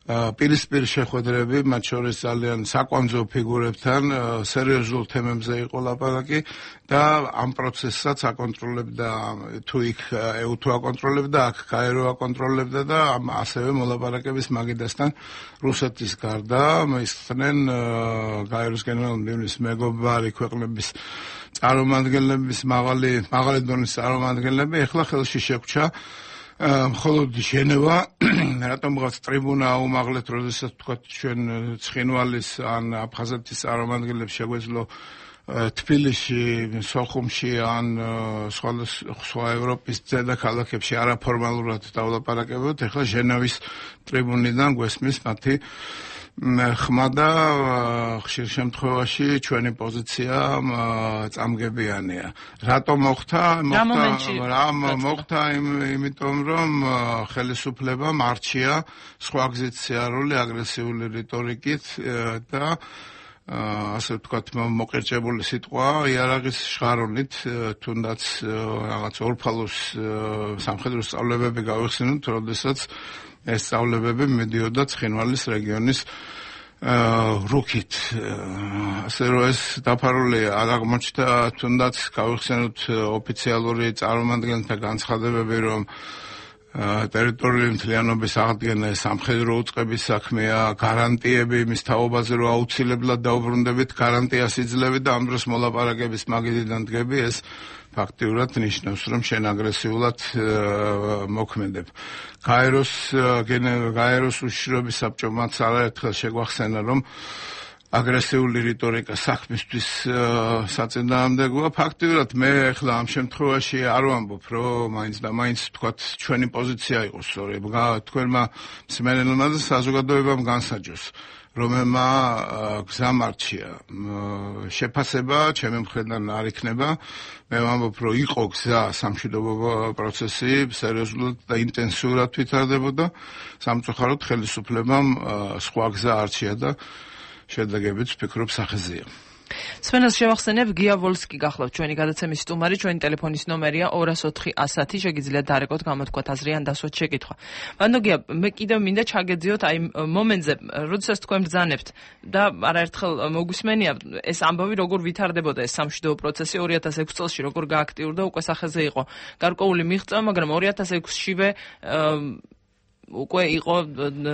პირისპირ შეხვედრები, მათ შორის ძალიან საკვანძო ფიგურებთან, სერიოზულ თემებზე იყო ლაპარაკი და ამ პროცესსაც აკონტროლებდა თუ იქ EU თუ აკონტროლებდა, აქ გაერო აკონტროლებდა და ასევე მოლაპარაკების მაგიდასთან რუსეთის გარდა მისხდნენ გაეროს გენერალ-მდივნის მეგობარი ქვეყნების წარმომადგენლების მაღალი დონის წარმომადგენლები, ეხლა ხელში შეგვჭა მხოლოდ ჟენევა, რატომღაც ტრიბუნა აუმაღლეთ, როდესაც თქვა ჩვენ ცხინვალის ან აფხაზეთის წარმომადგენლებს შეგვეძლო თბილისში, სოხუმში ან სხვა ევროპის დედაქალაქებში არაფორმალურად დავლაპარაკებოთ, ეხლა ჟენევის ტრიბუნიდან გვესმის მათი ხმა და ხშირ შემთხვევაში ჩვენი პოზიცია წამგებიანია. რატო მოხდა? მოხდა იმიტომ რომ ხელისუფლებამ არჩია სხვა გზით სიარული აგრესიული რიტორიკით და ასე ვთქვათ, მოკერჭებული სიტყვა იარაღის შხარონით, თუნდაც რაღაც ორფალოს სამხედრო სწავლებები გავიხსენოთ, როდესაც ეს სწავლებები მიდიოდა ცხინვალის რეგიონის რუქით. ასე რომ ეს დაფარული არ აღმოჩნდა, თუნდაც გავიხსენოთ ოფიციალური წარმომადგენელთა განცხადებები, რომ ტერიტორიული მთლიანობის აღდგენა სამხედრო უწყების საქმეა, გარანტიები მის თაობაზე რომ აუცილებლად დაუბრუნდებით, გარანტიას იძლევით და ამ დროს მოლაპარაკების მაგიდიდან დგები, ეს ფაქტიურად ნიშნავს, რომ შენ აგრესიულად მოქმედებ. გაეროს უშიშროების საბჭომაც არაერთხელ შეგვახსენა, რომ აგრესიული რიტორიკა საქმისთვის საწინააღმდეგოა. ფაქტიურად მე ახლა ამ შემთხვევაში არ ვამბობ, რომ მაინც და მაინც თქვათ ჩვენი პოზიცია იყოს სწორი. თქვენმა მსმენელმა და საზოგადოებამ განსაჯოს, რომელმა გზამ არჩია. შეფასება ჩემი მხრიდან არ იქნება. მე ვამბობ, რომ იყო გზა სამშვიდობო პროცესი, სერიოზულად და ინტენსიურად ვითარდებოდა. სამწუხაროდ ხელისუფლებამ სხვა გზა არჩია და შედეგებიც ვფიქრობ სახეზეა. სვენას შევახსენებ, გია ვოლსკი გახლავთ ჩვენი გადაცემის სტუმარი, ჩვენი ტელეფონის ნომერია 204 110, შეგიძლიათ დარეკოთ, გამოთქვათ აზრი ან დასვათ შეკითხვა. ბანდო გია, მე კიდევ მინდა ჩაგეძიოთ აი მომენტზე, როდესაც თქვენ ბრძანებთ და არაერთხელ მოგვისმენია ეს ამბავი როგორ ვითარდებოდა ეს სამშვიდობო პროცესი 2006 წელს როგორ გააქტიურდა, უკვე სახეზე იყო გარკვეული მიღწევა, მაგრამ 2006-შივე უკვე იყო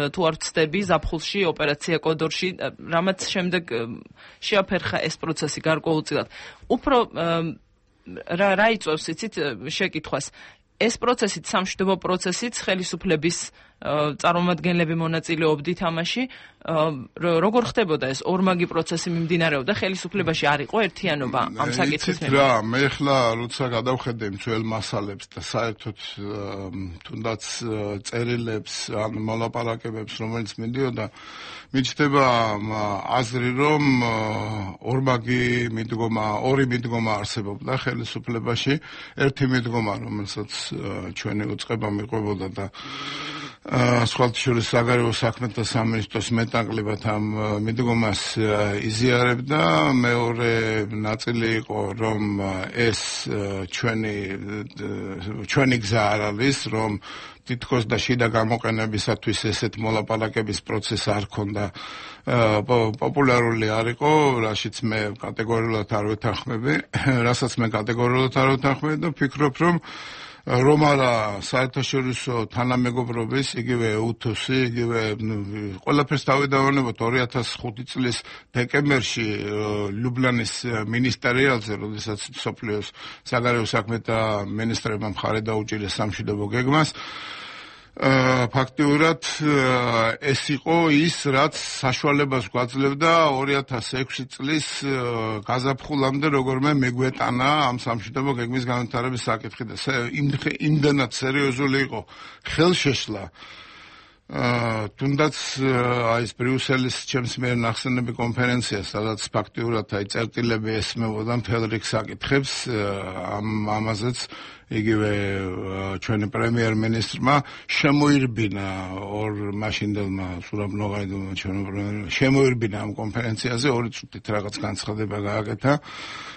თუ არ ვცდები ზაფხულში ოპერაცია კოდორში, რამაც შემდეგ შეაფერხა ეს პროცესი გარკვეულწილად. უფრო რა იწვევს იცით შეკითხვას? ეს პროცესით, სამშვიდობო პროცესით ხელისუფლების წარმომადგენლები მონაწილეობდით ამაში, როგორ ხდებოდა ეს ორმაგი პროცესი მიმდინარეობდა, ხელისუფლებაში არ იყო ერთიანობა ამ საკითხის მიმართ? რა, მე ახლა როცა გადავხედე იმ ძველ მასალებს და საერთოდ თუნდაც წერილებს ან მოლაპარაკებებს, რომელიც მიდიოდა, მიჩნდება აზრი, რომ ორი მიდგომა არსებობდა ხელისუფლებაში, ერთი მიდგომა, რომელსაც ჩვენი უწყება მიყვებოდა და სხვათა შორის საგარეო საქმეთა სამინისტროს მეტნაკლებად ამ მიდგომას იზიარებდა. მეორე ნაწილი იყო, რომ ეს ჩვენი გზა არ არის, რომ თითქოს და შიდა გამოყენებისათვის ესეთ მოლაპარაკების პროცესი არ ქონდა პოპულარული არ იყო, რაშიც მე კატეგორიულად არ ვეთანხმები, რასაც მე კატეგორიულად არ ვეთანხმები და ვფიქრობ, რომ არა საერთაშორისო თანამეგობრობის, იგივე უთოსი, იგივე ყველაფერს დავიდავანებოთ 2005 წლის დეკემბერში ლუბლანის მინისტერიალზე, როდესაც სოფლიოს საგარეო საქმეთა მინისტრებმა მხარი დაუჭირეს სამშვიდობო გეგმას. ფაქტიურად ეს იყო ის, რაც საშუალებას გვაძლევდა 2006 წლის გაზაფხულამდე როგორმე მეგვეტანა ამ სამშვიდობო გეგმის განვითარების საკითხი და იმდენად სერიოზული იყო ხელშეშლა. თუნდაც აი ეს ბრიუსელის ჩემს მიერ ნახსენები კონფერენცია, სადაც ფაქტიურად აი წერტილები ესმებოდა მთელ რიგ საკითხებს, ამაზეც იგივე ჩვენი პრემიერ-მინისტრმა შემოირბინა მაშინდელმა სურაბ ნოღაიდოვმა შემოირბინა ამ კონფერენციაზე 2 წუთით რაღაც განცხადება გააკეთა.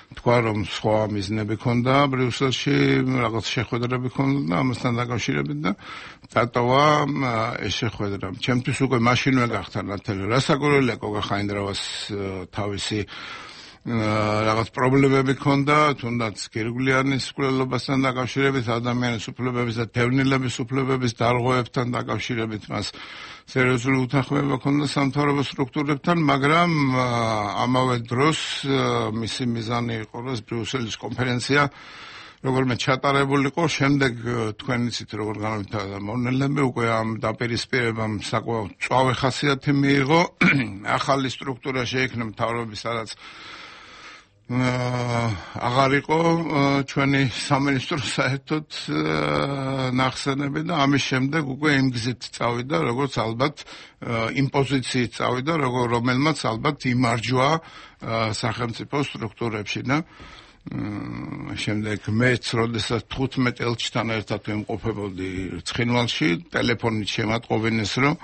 თქვა, რომ სხვა მიზნები ქონდა ბრიუსელში, რაღაც შეხვედრები ქონდა და ამასთან დაკავშირებით და დატოვა ეს შეხვედრა. ჩემთვის უკვე მაშინვე გახდა ნათელი. რასაკვირველია, გოგა ხაინდრავას თავისი რაღაც პრობლემები ქონდა, თუნდაც გირგვლიანის მკვლელობასთან დაკავშირებით, ადამიანის უფლებების და დევნილების უფლებების დარღვევებთან დაკავშირებით მას სერიოზული უთანხმოება ქონდა სამთავრობო სტრუქტურებთან, მაგრამ ამავე დროს მისი მიზანი იყო, რომ ბრიუსელის კონფერენცია როგორმე ჩატარებულიყო, შემდეგ თქვენ იცით როგორ განვითარდა მოვლენები, უკვე ამ დაპირისპირებამ საკმაოდ მწვავე ხასიათი მიიღო, ახალი სტრუქტურა შეიქმნა მთავრობის, სადაც აღარ იყო ჩვენი სამინისტრო საერთოდ ნახსენები და ამის შემდეგ უკვე იმ გზით წავიდა, როგორც ალბათ იმ პოზიციით წავიდა, რომელმაც ალბათ იმარჯვა სახელმწიფო სტრუქტურებში და შემდეგ მეც როდესაც 15 ელჩთან ერთად ვიმყოფებოდი ცხინვალში, ტელეფონით შემატყობინეს, რომ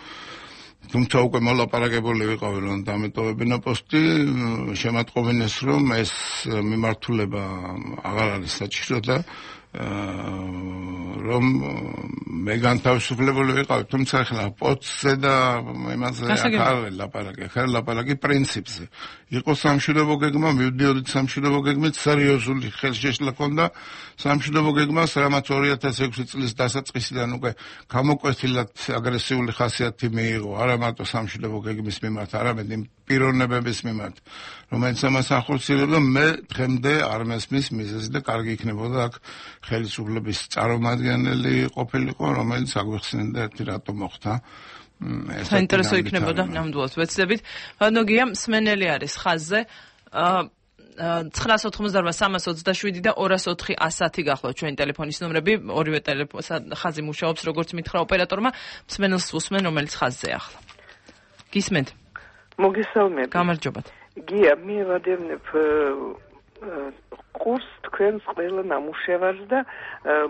თუმცა უკვე მოლაპარაკებული ვიყავი, რომ დამეტოვებინა პოსტი, შემატყობინეს, რომ ეს მიმართულება აღარ არის საჭირო და რომ მე განთავისუფლებული ვიყავი, თუმცა ახლა პოსტზე და იმაზე არ ლაპარაკი, ხარ ლაპარაკი პრინციპზე. იყო სამშვიდობო გეგმა, მივდიოდით სამშვიდობო გეგმით, სერიოზული ხელშეშლა ჰქონდა სამშვიდობო გეგმას, რამაც 2006 წლის დასაწყისიდან უკვე გამოკვეთილად აგრესიული ხასიათი მიიღო, არა მარტო სამშვიდობო გეგმის მიმართ, არამედ იმ პიროვნებების მიმართ, რომელიც ამას ახორციელებდა, მე დღემდე არ მესმის მიზეზი და კარგი იქნებოდა აქ ხელისუფლების წარმომადგენელი ყოფილიყო, რომელიც აგვიხსენდა ერთი რატომ მოხდა. საინტერესო იქნებოდა ნამდვილად ვეცდებით. ნოგია მსმენელი არის ხაზზე 988-327 და 204-110 გახლავთ ჩვენი ტელეფონის ნომრები, ორივე ხაზი მუშაობს როგორც მითხრა ოპერატორმა, მსმენელს უსმენ, რომელიც ხაზზე ახლა. გისმენთ? მოგესალმებით. გამარჯობათ. გია, მე ვადევნებ კურს თქვენს ყველა ნამუშევარს და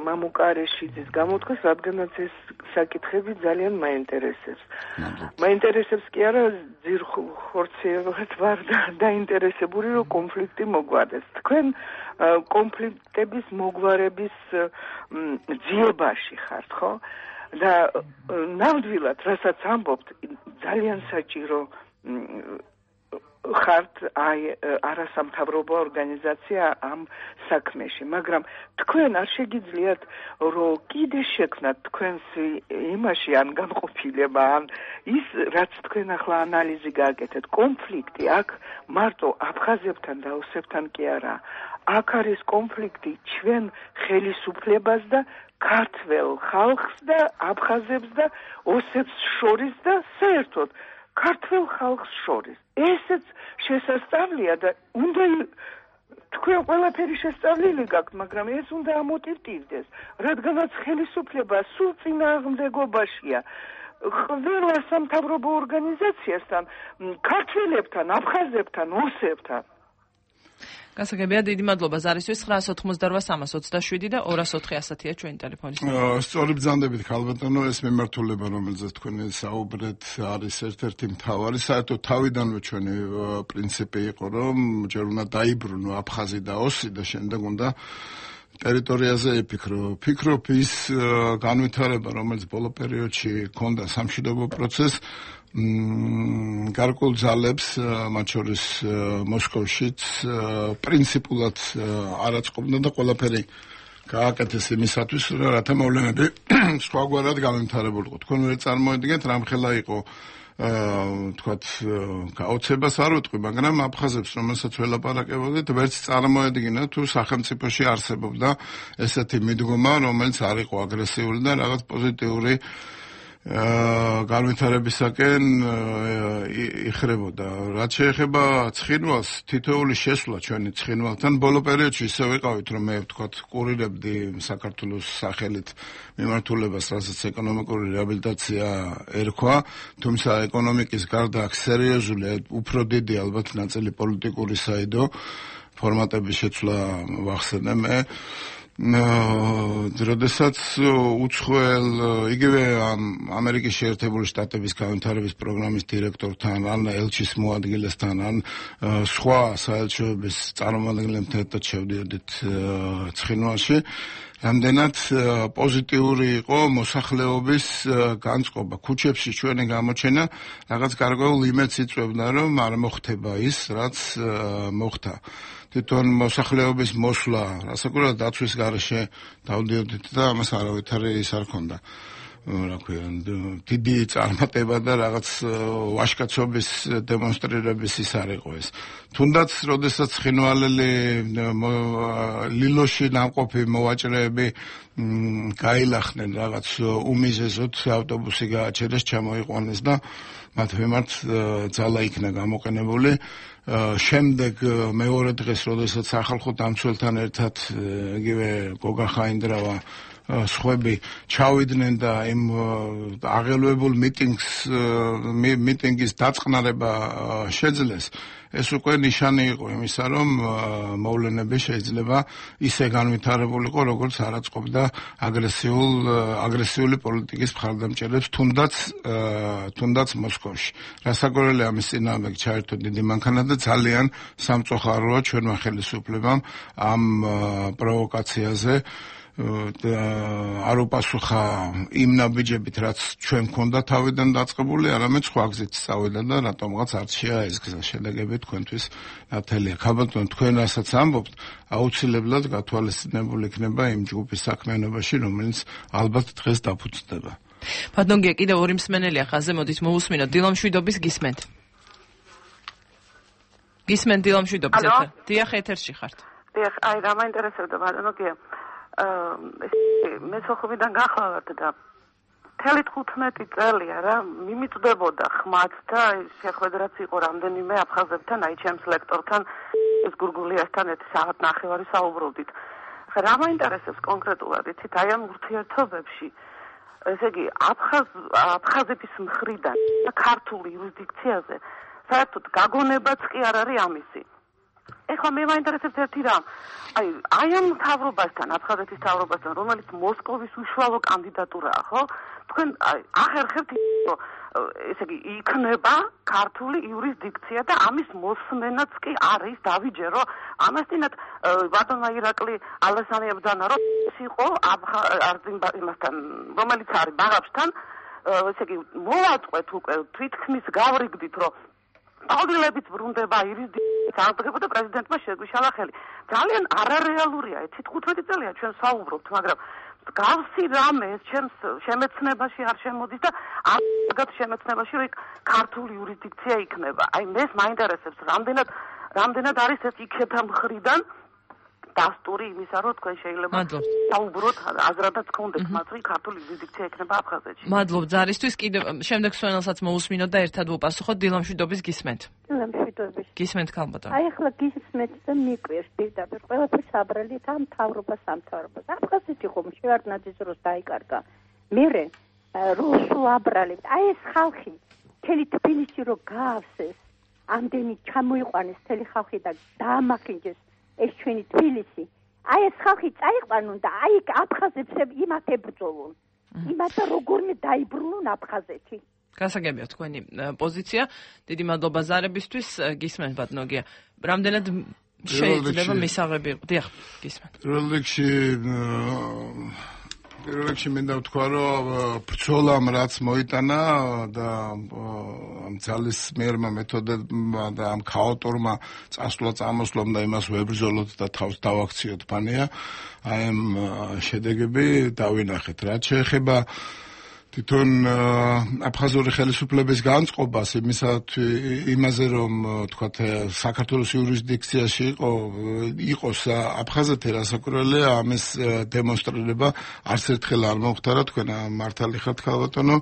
მამუკარეშიძის გამოთქვას, რადგანაც ეს საკითხები ძალიან მაინტერესებს. მაინტერესებს კი არა, ძირხორცევად ვარ დაინტერესებული, რომ კონფლიქტი მოგვარდეს. თქვენ კონფლიქტების მოგვარების ძიებაში ხართ, ხო? და ნამდვილად, რასაც ამბობთ, ძალიან საჭირო ხართ არასამთავრობო ორგანიზაცია ამ საქმეში, მაგრამ თქვენ არ შეგიძლიათ, რომ კიდე შექმნათ თქვენს იმაში ან განყოფილება, ან ის, რაც თქვენ ახლა ანალიზი გააკეთეთ, კონფლიქტი აქ მარტო აფხაზებთან და ოსებთან კი არა, აქ არის კონფლიქტი ჩვენ ხელისუფლებას და ქართველ ხალხს და აფხაზებს და ოსებს შორის და საერთოდ ქართველ ხალხს შორის. ესეც შესასწავლია და უნდა თქვენ ყველაფერი შესწავლილი გაქვთ, მაგრამ ეს უნდა ამოტივტივდეს, რადგანაც ხელისუფლება სულ წინააღმდეგობაშია ყველა სამთავრობო ორგანიზაციასთან, ქართველებთან, აფხაზებთან, ოსებთან. გასაგებია, დიდი მადლობა ზარისთვის. 988-327 და 204-110 ჩვენი ტელეფონის ნომერი. სწორი ბრძანდებით, ხალბატონო, ეს მიმართულება, რომელზეც თქვენ საუბრეთ, არის ერთ-ერთი მთავარი. საერთოდ თავიდანვე ჩვენი პრინციპი იყო, რომ ჯერ უნდა დაიბრუნო აფხაზი და ოსი და შემდეგ უნდა ტერიტორიაზე იფიქრო. ფიქრობ ის განვითარება, რომელიც ბოლო პერიოდში ჰქონდა სამშვიდობო პროცესს, გარკვეულ ძალებს, მათ შორის მოსკოვშიც, პრინციპულად არ აწყობდა და ყველაფერი გააკეთეს იმისათვის, რათა მოვლენები სხვაგვარად გამემთარებულიყო. თქვენ ვერ წარმოედგენთ, რამხელა იყო თქვათ გაოცებას არ ვიტყვი, მაგრამ აფხაზებს, რომელსაც ველაპარაკებოდით, ვერც წარმოედგინა თუ სახელმწიფოში არსებობდა ესეთი მიდგომა, რომელიც არ იყო აგრესიული და რაღაც პოზიტიური განვითარებისაკენ იხრებოდა. რაც შეეხება ცხინვალს, თითოეული შესვლა ჩვენი ცხინვალთან ბოლო პერიოდში ისე ვიყავით, რომ მე ვთქვათ, კურირებდი საქართველოს სახელით მიმართულებას, რასაც ეკონომიკური რეაბილიტაცია ერქვა, თუმცა ეკონომიკის გარდა აქ სერიოზული, უფრო დიდი ალბათ ნაწილი პოლიტიკური საიდო ფორმატების შეცვლა ვახსენე მე. როდესაც უცხოელ იგივე ამერიკის შეერთებული შტატების განვითარების პროგრამის დირექტორთან, ან ელჩის მოადგილესთან, ან სხვა საელჩოების წარმომადგენლებთან ერთად შევდიოდით ცხინვალში, რამდენად პოზიტიური იყო მოსახლეობის განწყობა. ქუჩებში ჩვენი გამოჩენა რაღაც გარკვეულ იმედს იწვევდა, რომ არ მოხდება ის, რაც მოხდა. თვითონ მოსახლეობის მოსვლა, რასაკვირველად დაცვის გარეშე დავდიოდით და ამას არავითარი ის არ ქონდა. რა ქვია, დიდი წარმატება და რაღაც ვაჟკაცობის დემონსტრირების ის არ იყო ეს. თუნდაც, როდესაც ცხინვალელი ლილოში ნამყოფი მოვაჭრეები გაილახნენ რაღაც უმიზეზოდ ავტობუსი გააჩერეს, ჩამოიყვანეს და მათ მიმართ ძალა იქნა გამოყენებული. შემდეგ მეორე დღეს, როდესაც სახალხო დამცველთან ერთად იგივე გოგა ხაინდრავა სხვები ჩავიდნენ და იმ აღელვებულ მიტინგის დაწყნარება შეძლეს, ეს უკვე ნიშანი იყო იმისა, რომ მოვლენები შეიძლება ისე განვითარებულიყო, როგორც არ აწყობდა აგრესიული პოლიტიკის მხარდამჭერებს, თუნდაც მოსკოვში. რასაკვირველია, ამის წინააღმდეგ ჩაერთო დიდი მანქანა და ძალიან სამწუხაროა ჩვენმა ხელისუფლებამ ამ პროვოკაციაზე არ უპასუხა იმ ნაბიჯებით, რაც ჩვენ გქონდა თავიდან დაწყებული, არამედ სხვა გზით წავიდა და რატომღაც არჩია ეს გზა. შედეგები თქვენთვის ნათელია. ქაბატონ, თქვენ რასაც ამბობთ, აუცილებლად გათვალისწინებული იქნება იმ ჯგუფის საქმიანობაში, რომელიც ალბათ დღეს დაფუძნდება. ბატონგია, კიდევ ორი მსმენელია ხაზზე, მოდით მოусმინოთ. დილამშვიდობის გისმენთ. გისმენთ დილამშვიდობის ეთერ. დიახ, ეთერში ხართ. დიახ, აი რა მაინტერესებდა ბატონგია. მე სოხუმიდან გახლავართ და 15 წელია რა მიმიწვდებოდა ხმაც და შეხვედრაც იყო რამდენიმე აფხაზებთან, აი ჩემს ლექტორთან, ეს გურგულიასთან ერთი საათ ნახევარი საუბრობდით. რა მაინტერესებს კონკრეტულად, იცით, აი ამ ურთიერთობებში, ესე იგი, აფხაზების მხრიდან და ქართული იურისდიქციაზე საერთოდ გაგონებაც კი არ არის ამისი. ეხლა მე მაინტერესებს ერთი რამ. აი ამ მთავრობასთან, აფხაზეთის მთავრობასთან, რომელიც მოსკოვის უშუალო კანდიდატურაა, ხო? თქვენ ახერხებთ, რომ ესე იგი, იქნება ქართული იურისდიქცია და ამის მოსმენაც კი არის დავიჯერო. ამასთანავე ბატონმა ირაკლი ალასანი ებრძანა, რომ ეს იყო იმასთან, რომელიც არის ბაღაბშთან, ესე იგი, მოვაწყვეთ უკვე თვითქმის გავრიგდით, რომ აღდილებით ბრუნდება იურისდიქციის აღდგება და პრეზიდენტმა შეგვიშალა ხელი. ძალიან არარეალურია, 15 წელია ჩვენ საუბრობთ, მაგრამ გავსი რამე ეს ჩემს შემეცნებაში არ შემოდის და ამაგად შემეცნებაში რომ ქართული იურისდიქცია იქნება. აი მეს მაინტერესებს რამდენად არის ეს იქეთა მხრიდან დასტური იმისა, რომ თქვენ შეიძლება საუბროთ აზრადაც გქონდეთ მათ, რომ ქართული იურისდიქცია იქნება აფხაზეთში. მადლობ ზარისთვის. კიდევ შემდეგ სვენელსაც მოусმინოთ და ერთად ვუპასუხოთ. დილამშვიდობის გისმენთ. დილამშვიდობის. გისმენთ ქალბატონ. აი ახლა გისმენთ და მიკვირს პირდაპირ ყველაფერს აბრალით ამ მთავრობას. აფხაზეთი ხომ შევარდნაძის დროს დაიკარგა. მერე რუსულ აბრალებთ. აი ეს ხალხი მთელი თბილისი რო გაავსეს, ამდენი ჩამოიყვანეს მთელი ხალხი და დაამახინჯეს ეს ჩვენი თბილისი. აი ეს ხალხი წაიყვანონ და აი აფხაზებს იმათ ებრძოლონ. იმათ როგორმე დაიბრუნონ აფხაზეთი. გასაგებია თქვენი პოზიცია. დიდი მადლობა ზარებისთვის. გისმენთ ბატონოგია. რამდენად შეიძლება მისაღები იყო? დიახ, გისმენთ. პირველ რიგში მინდა ვთქვა, რომ ბრძოლამ რაც მოიტანა და ამ ძალისმიერმა მეთოდებმა და ამ ქაოტორმა წამოსვლამ და იმას ვებრძოლოთ და თავს დავაქციოთ ფანია, აი ამ შედეგები დავინახეთ. რაც შეეხება თვითონ აფხაზური ხელისუფლების განწყობას იმაზე, რომ თქვათ საქართველოს იურისდიქციაში იყოს აფხაზეთი, რასაკვირველია, ამის დემონსტრირება არც ერთხელ არ მომხდარა. თქვენ მართალი ხართ ქალბატონო.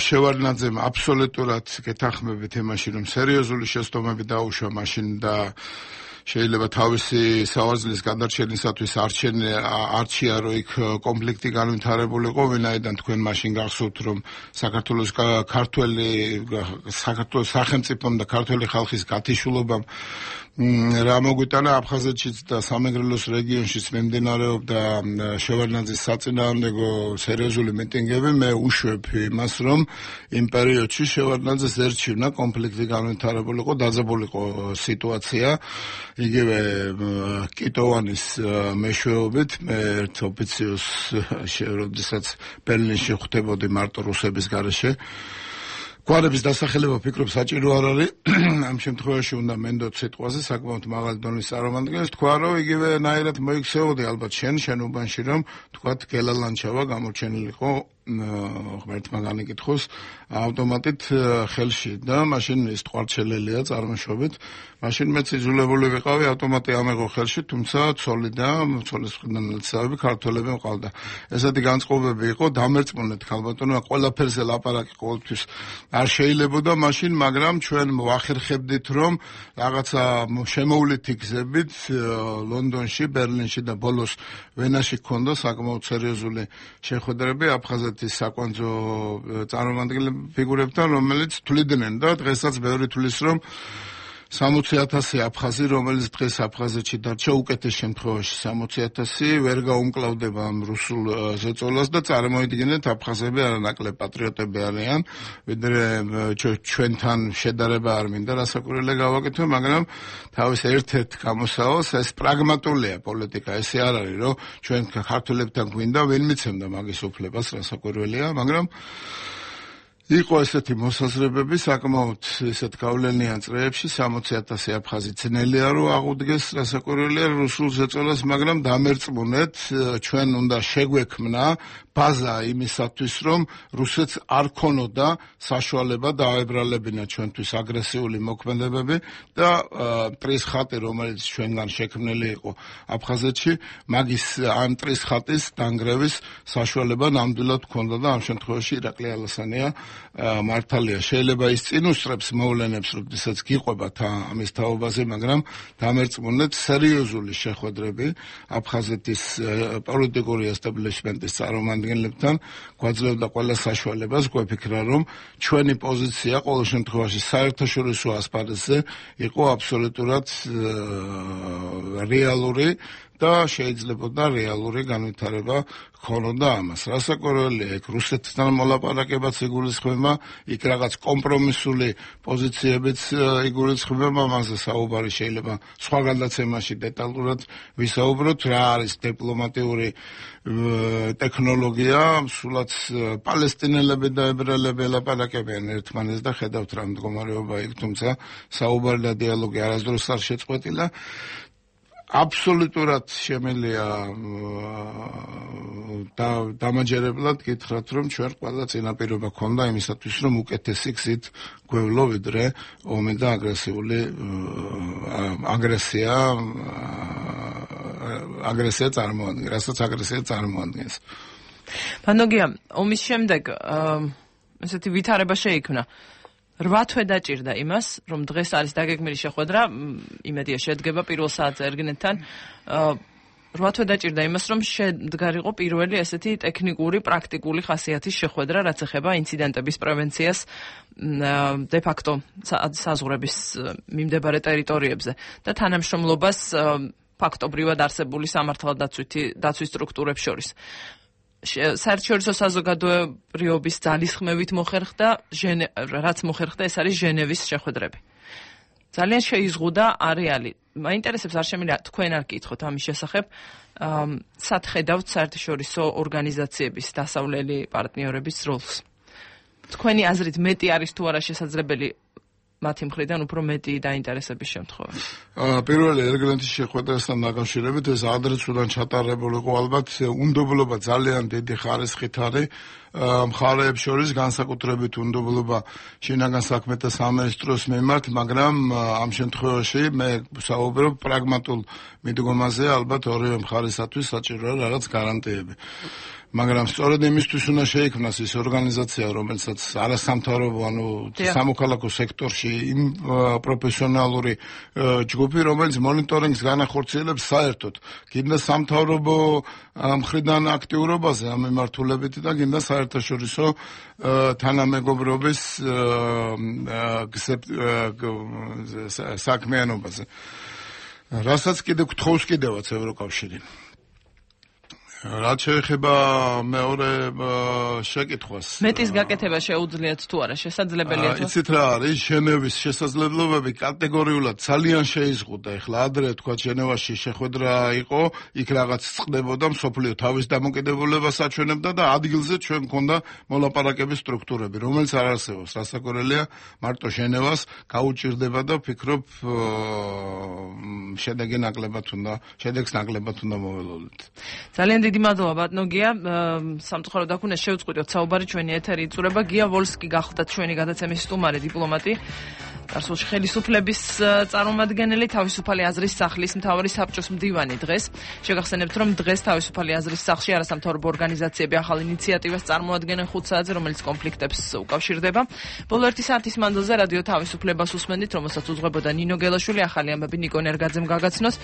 შევარდნაძემ აბსოლუტურად გეთანხმებით იმაში, რომ სერიოზული შეცდომები დაუშვა მაშინ და შეიძლება თავისი სავარძლის გადარჩენისათვის არჩია, რომ იქ კონფლიქტი განვითარებულიყო, ვინაიდან თქვენ მაშინ გახსოვთ, რომ საქართველოს სახელმწიფომ და ქართველი ხალხის გათიშულობამ რა მოგვიტანა აფხაზეთშიც და სამეგრელოს რეგიონშიც მიმდინარეობდა შევარდნაძის საწინააღმდეგო სერიოზული მიტინგები. მე უშვებ იმას, რომ იმ პერიოდში შევარდნაძეს ერჩივნა კონფლიქტი განვითარებულიყო, დაძაბულიყო სიტუაცია. იგივე კიტოვანის მეშვეობით მე ერთ ოფიციოს როდესაც ბერლინში ხვდებოდი მარტო რუსების გარეშე გვარების დასახელება ფიქრობ საჭირო არ არის. ამ შემთხვევაში უნდა მენდოთ სიტყვაზე საკმაოდ მაღალი დონის წარმომადგენელს. თქვა, რომ იგივე ნაირად მოიქცეოდი ალბათ შენ უბანში, რომ თქვათ გელალანჩავა გამორჩენილიყო ღმერთმა განიკითხოს ავტომატით ხელში და მაშინ ის ტყუარჩელელია წარმოშობით მაშინ მეც იძულებული ვიყავი ავტომატი ამეღო ხელში თუმცა ცოლი და ცოლის მხრიდან ნაცავები ქართველები მყავდა ესეთი განწყობები იყო დამერწმუნეთ ქალბატონო ყველაფერზე ლაპარაკი ყოველთვის არ შეიძლებოდა მაშინ მაგრამ ჩვენ ვახერხებდით რომ რაღაცა შემოვლითი გზებით ლონდონში ბერლინში და ბოლოს ვენაში ქონდა საკმაოდ სერიოზული შეხვედრები აფხაზეთის საკვანძო წარმომადგენელი ფიგურებთან რომელიც თვლიდნენ და დღესაც ბევრი თვლის რომ 60,000 აფხაზი რომელიც დღეს აფხაზეთში დარჩა უკეთეს შემთხვევაში 60,000 ვერ გაუმკლავდება ამ რუსულ ზეწოლას და წარმოიდგინეთ აფხაზები არანაკლებ პატრიოტები არიან ვიდრე ჩვენთან შედარება არ მინდა რასაკვირველია გავაკეთო მაგრამ თავის ერთ-ერთ გამოსავალს ეს პრაგმატულია პოლიტიკა ესე არ არის რომ ჩვენ ქართველებთან გვინდა ვინ მიცემდა მაგის უფლებას რასაკვირველია მაგრამ იყო ესეთი მოსაზრებები საკმაოდ ესეთ გავლენიან წრეებში 60,000 აფხაზი ძნელია რომ აღუდგეს რასაკვირველია რუსულ ზეწოლას მაგრამ დამერწმუნეთ ჩვენ უნდა შეგვექმნა ბაზა იმისათვის რომ რუსეთს არ ქონოდა საშუალება დაებრალებინა ჩვენთვის აგრესიული მოქმედებები და მტრის ხატი რომელიც ჩვენგან შექმნილი იყო აფხაზეთში მაგის ამ მტრის ხატის დანგრევის საშუალება ნამდვილად ქონდა და ამ შემთხვევაში ირაკლი ალასანია მართალია შეიძლება ის წინ უსწრებს მოვლენებს როდესაც გიყვებათ ამის თაობაზე მაგრამ დამერწმუნეთ სერიოზული შეხვედრები აფხაზეთის პოლიტიკური ესტაბლიშმენტის წარმომადგენლებთან გვაძლევდა ყველა საშუალებას გვეფიქრა რომ ჩვენი პოზიცია ყოველ შემთხვევაში საერთაშორისო ასპარეზზე იყო აბსოლუტურად რეალური და შეიძლებოდა რეალური განვითარება ქონოდა ამას. რასაკვირველია, იქ რუსეთთან მოლაპარაკებაც იგულისხმება, იქ რაღაც კომპრომისული პოზიციებიც იგულისხმება, ამაზე საუბარი შეიძლება სხვა გადაცემაში დეტალურად ვისაუბროთ, რა არის დიპლომატიური ტექნოლოგია, სულაც პალესტინელები და ებრაელები ელაპარაკებიან ერთმანეთს და ხედავთ რა მდგომარეობა იქ, თუმცა საუბარი და დიალოგი არასდროს არ შეწყვეტილა. აბსოლუტურად შემიძლია დამაჯერებლად გითხრათ, რომ ჩვენ ყველა წინაპირობა ქონდა იმისათვის, რომ უკეთესი გზით გვევლო ვიდრე ომი და აგრესია წარმოადგენს, რასაც აგრესია წარმოადგენს. ბანოგია, ომის შემდეგ ესეთი ვითარება შეიქმნა. 8 თვე დაჭირდა იმას, რომ დღეს არის დაგეგმილი შეხვედრა, იმედია შედგება პირველ საათზე ერთგენეთთან. 8 თვე დაჭირდა იმას, რომ შედგარიყო პირველი ესეთი ტექნიკური, პრაქტიკული ხასიათის შეხვედრა, რაც ეხება ინციდენტების პრევენციას de facto საზღვრების მიმდებარე ტერიტორიებზე და თანამშრომლობას ფაქტობრივად არსებული სამართალდაცვის სტრუქტურებს შორის. საერთაშორისო საზოგადოების ძალისხმევით მოხერხდა, რაც მოხერხდა, ეს არის ჟენევის შეხვედრები. ძალიან შეიზღუდა არეალი. მაინტერესებს არ შემიძლია თქვენ არ გკითხოთ ამის შესახებ, სად ხედავთ საერთაშორისო ორგანიზაციების დასავლელი პარტნიორების როლს. თქვენი აზრით მეტი არის თუ არა შესაძლებელი მათი მხრიდან უფრო მეტი დაინტერესების შემთხვევაში. პირველი ერგლენდის შეხვედრასთან დაკავშირებით ეს ადრესუდან ჩატარებული იყო ალბათ უნდობლობა ძალიან დიდი ხარისხით არის მხარეებს შორის განსაკუთრებით უნდობლობა შინაგან საქმეთა სამინისტროს მიმართ, მაგრამ ამ შემთხვევაში მე საუბრობ პრაგმატულ მიდგომაზე, ალბათ ორივე მხარისათვის საჭიროა რაღაც გარანტიები. მაგრამ სწორედ იმისთვის უნდა შეიქმნას ის ორგანიზაცია, რომელსაც არასამთავრობო, ანუ სამოქალაქო სექტორში იმ პროფესიონალური ჯგუფი, რომელიც მონიტორინგს განახორციელებს საერთოდ, გინდა სამთავრობო მხრიდან აქტიურობაზე ამ მიმართულებით და გინდა საერთაშორისო თანამეგობრობის საქმიანობაზე. რასაც კიდევ გთხოვს კიდევაც ევროკავშირი. რაც შეეხება მეორე შეკითხვას. მეტის გაკეთება შეუძლიათ თუ არა, შესაძლებელია თუ? იცით რა არის, ჟენევის შესაძლებლობები კატეგორიულად ძალიან შეიზღუდა. ეხლა ადრე თქვა ჟენევაში შეხვედრა იყო, იქ რაღაც წყდებოდა, მსოფლიო თავის დამოკიდებულებას აჩვენებდა და ადგილზე ჩვენ მქონდა მოლაპარაკების სტრუქტურები, რომელიც არ არსებობს. რასაკვირველია, მარტო ჟენევას გაუჭირდება და ვფიქრობ შედეგს ნაკლებად უნდა მოველოდოთ. ძალიან დიდი მადლობა ბატონო გია. სამწუხაროდ აქ უნდა შევწყვიტოთ საუბარი, ჩვენი ეთერი იწურება. გია ვოლსკი გახლდათ ჩვენი გადაცემის სტუმარი, დიპლომატი. წარსულში ხელისუფლების წარმომადგენელი, თავისუფალი აზრის სახლის მთავარი საბჭოს მდივანი დღეს. შეგახსენებთ, რომ დღეს თავისუფალი აზრის სახლში არასამთავრობო ორგანიზაციები ახალ ინიციატივას წარმოადგენენ 5 საათზე, რომელიც კონფლიქტებს უკავშირდება. ბოლო 1 საათის მანძილზე რადიო თავისუფლებას უსმენთ, რომელსაც უძღვებოდა ნინო გელაშვილი, ახალი ამბები ნიკო ნერგაძემ გაგაცნოს.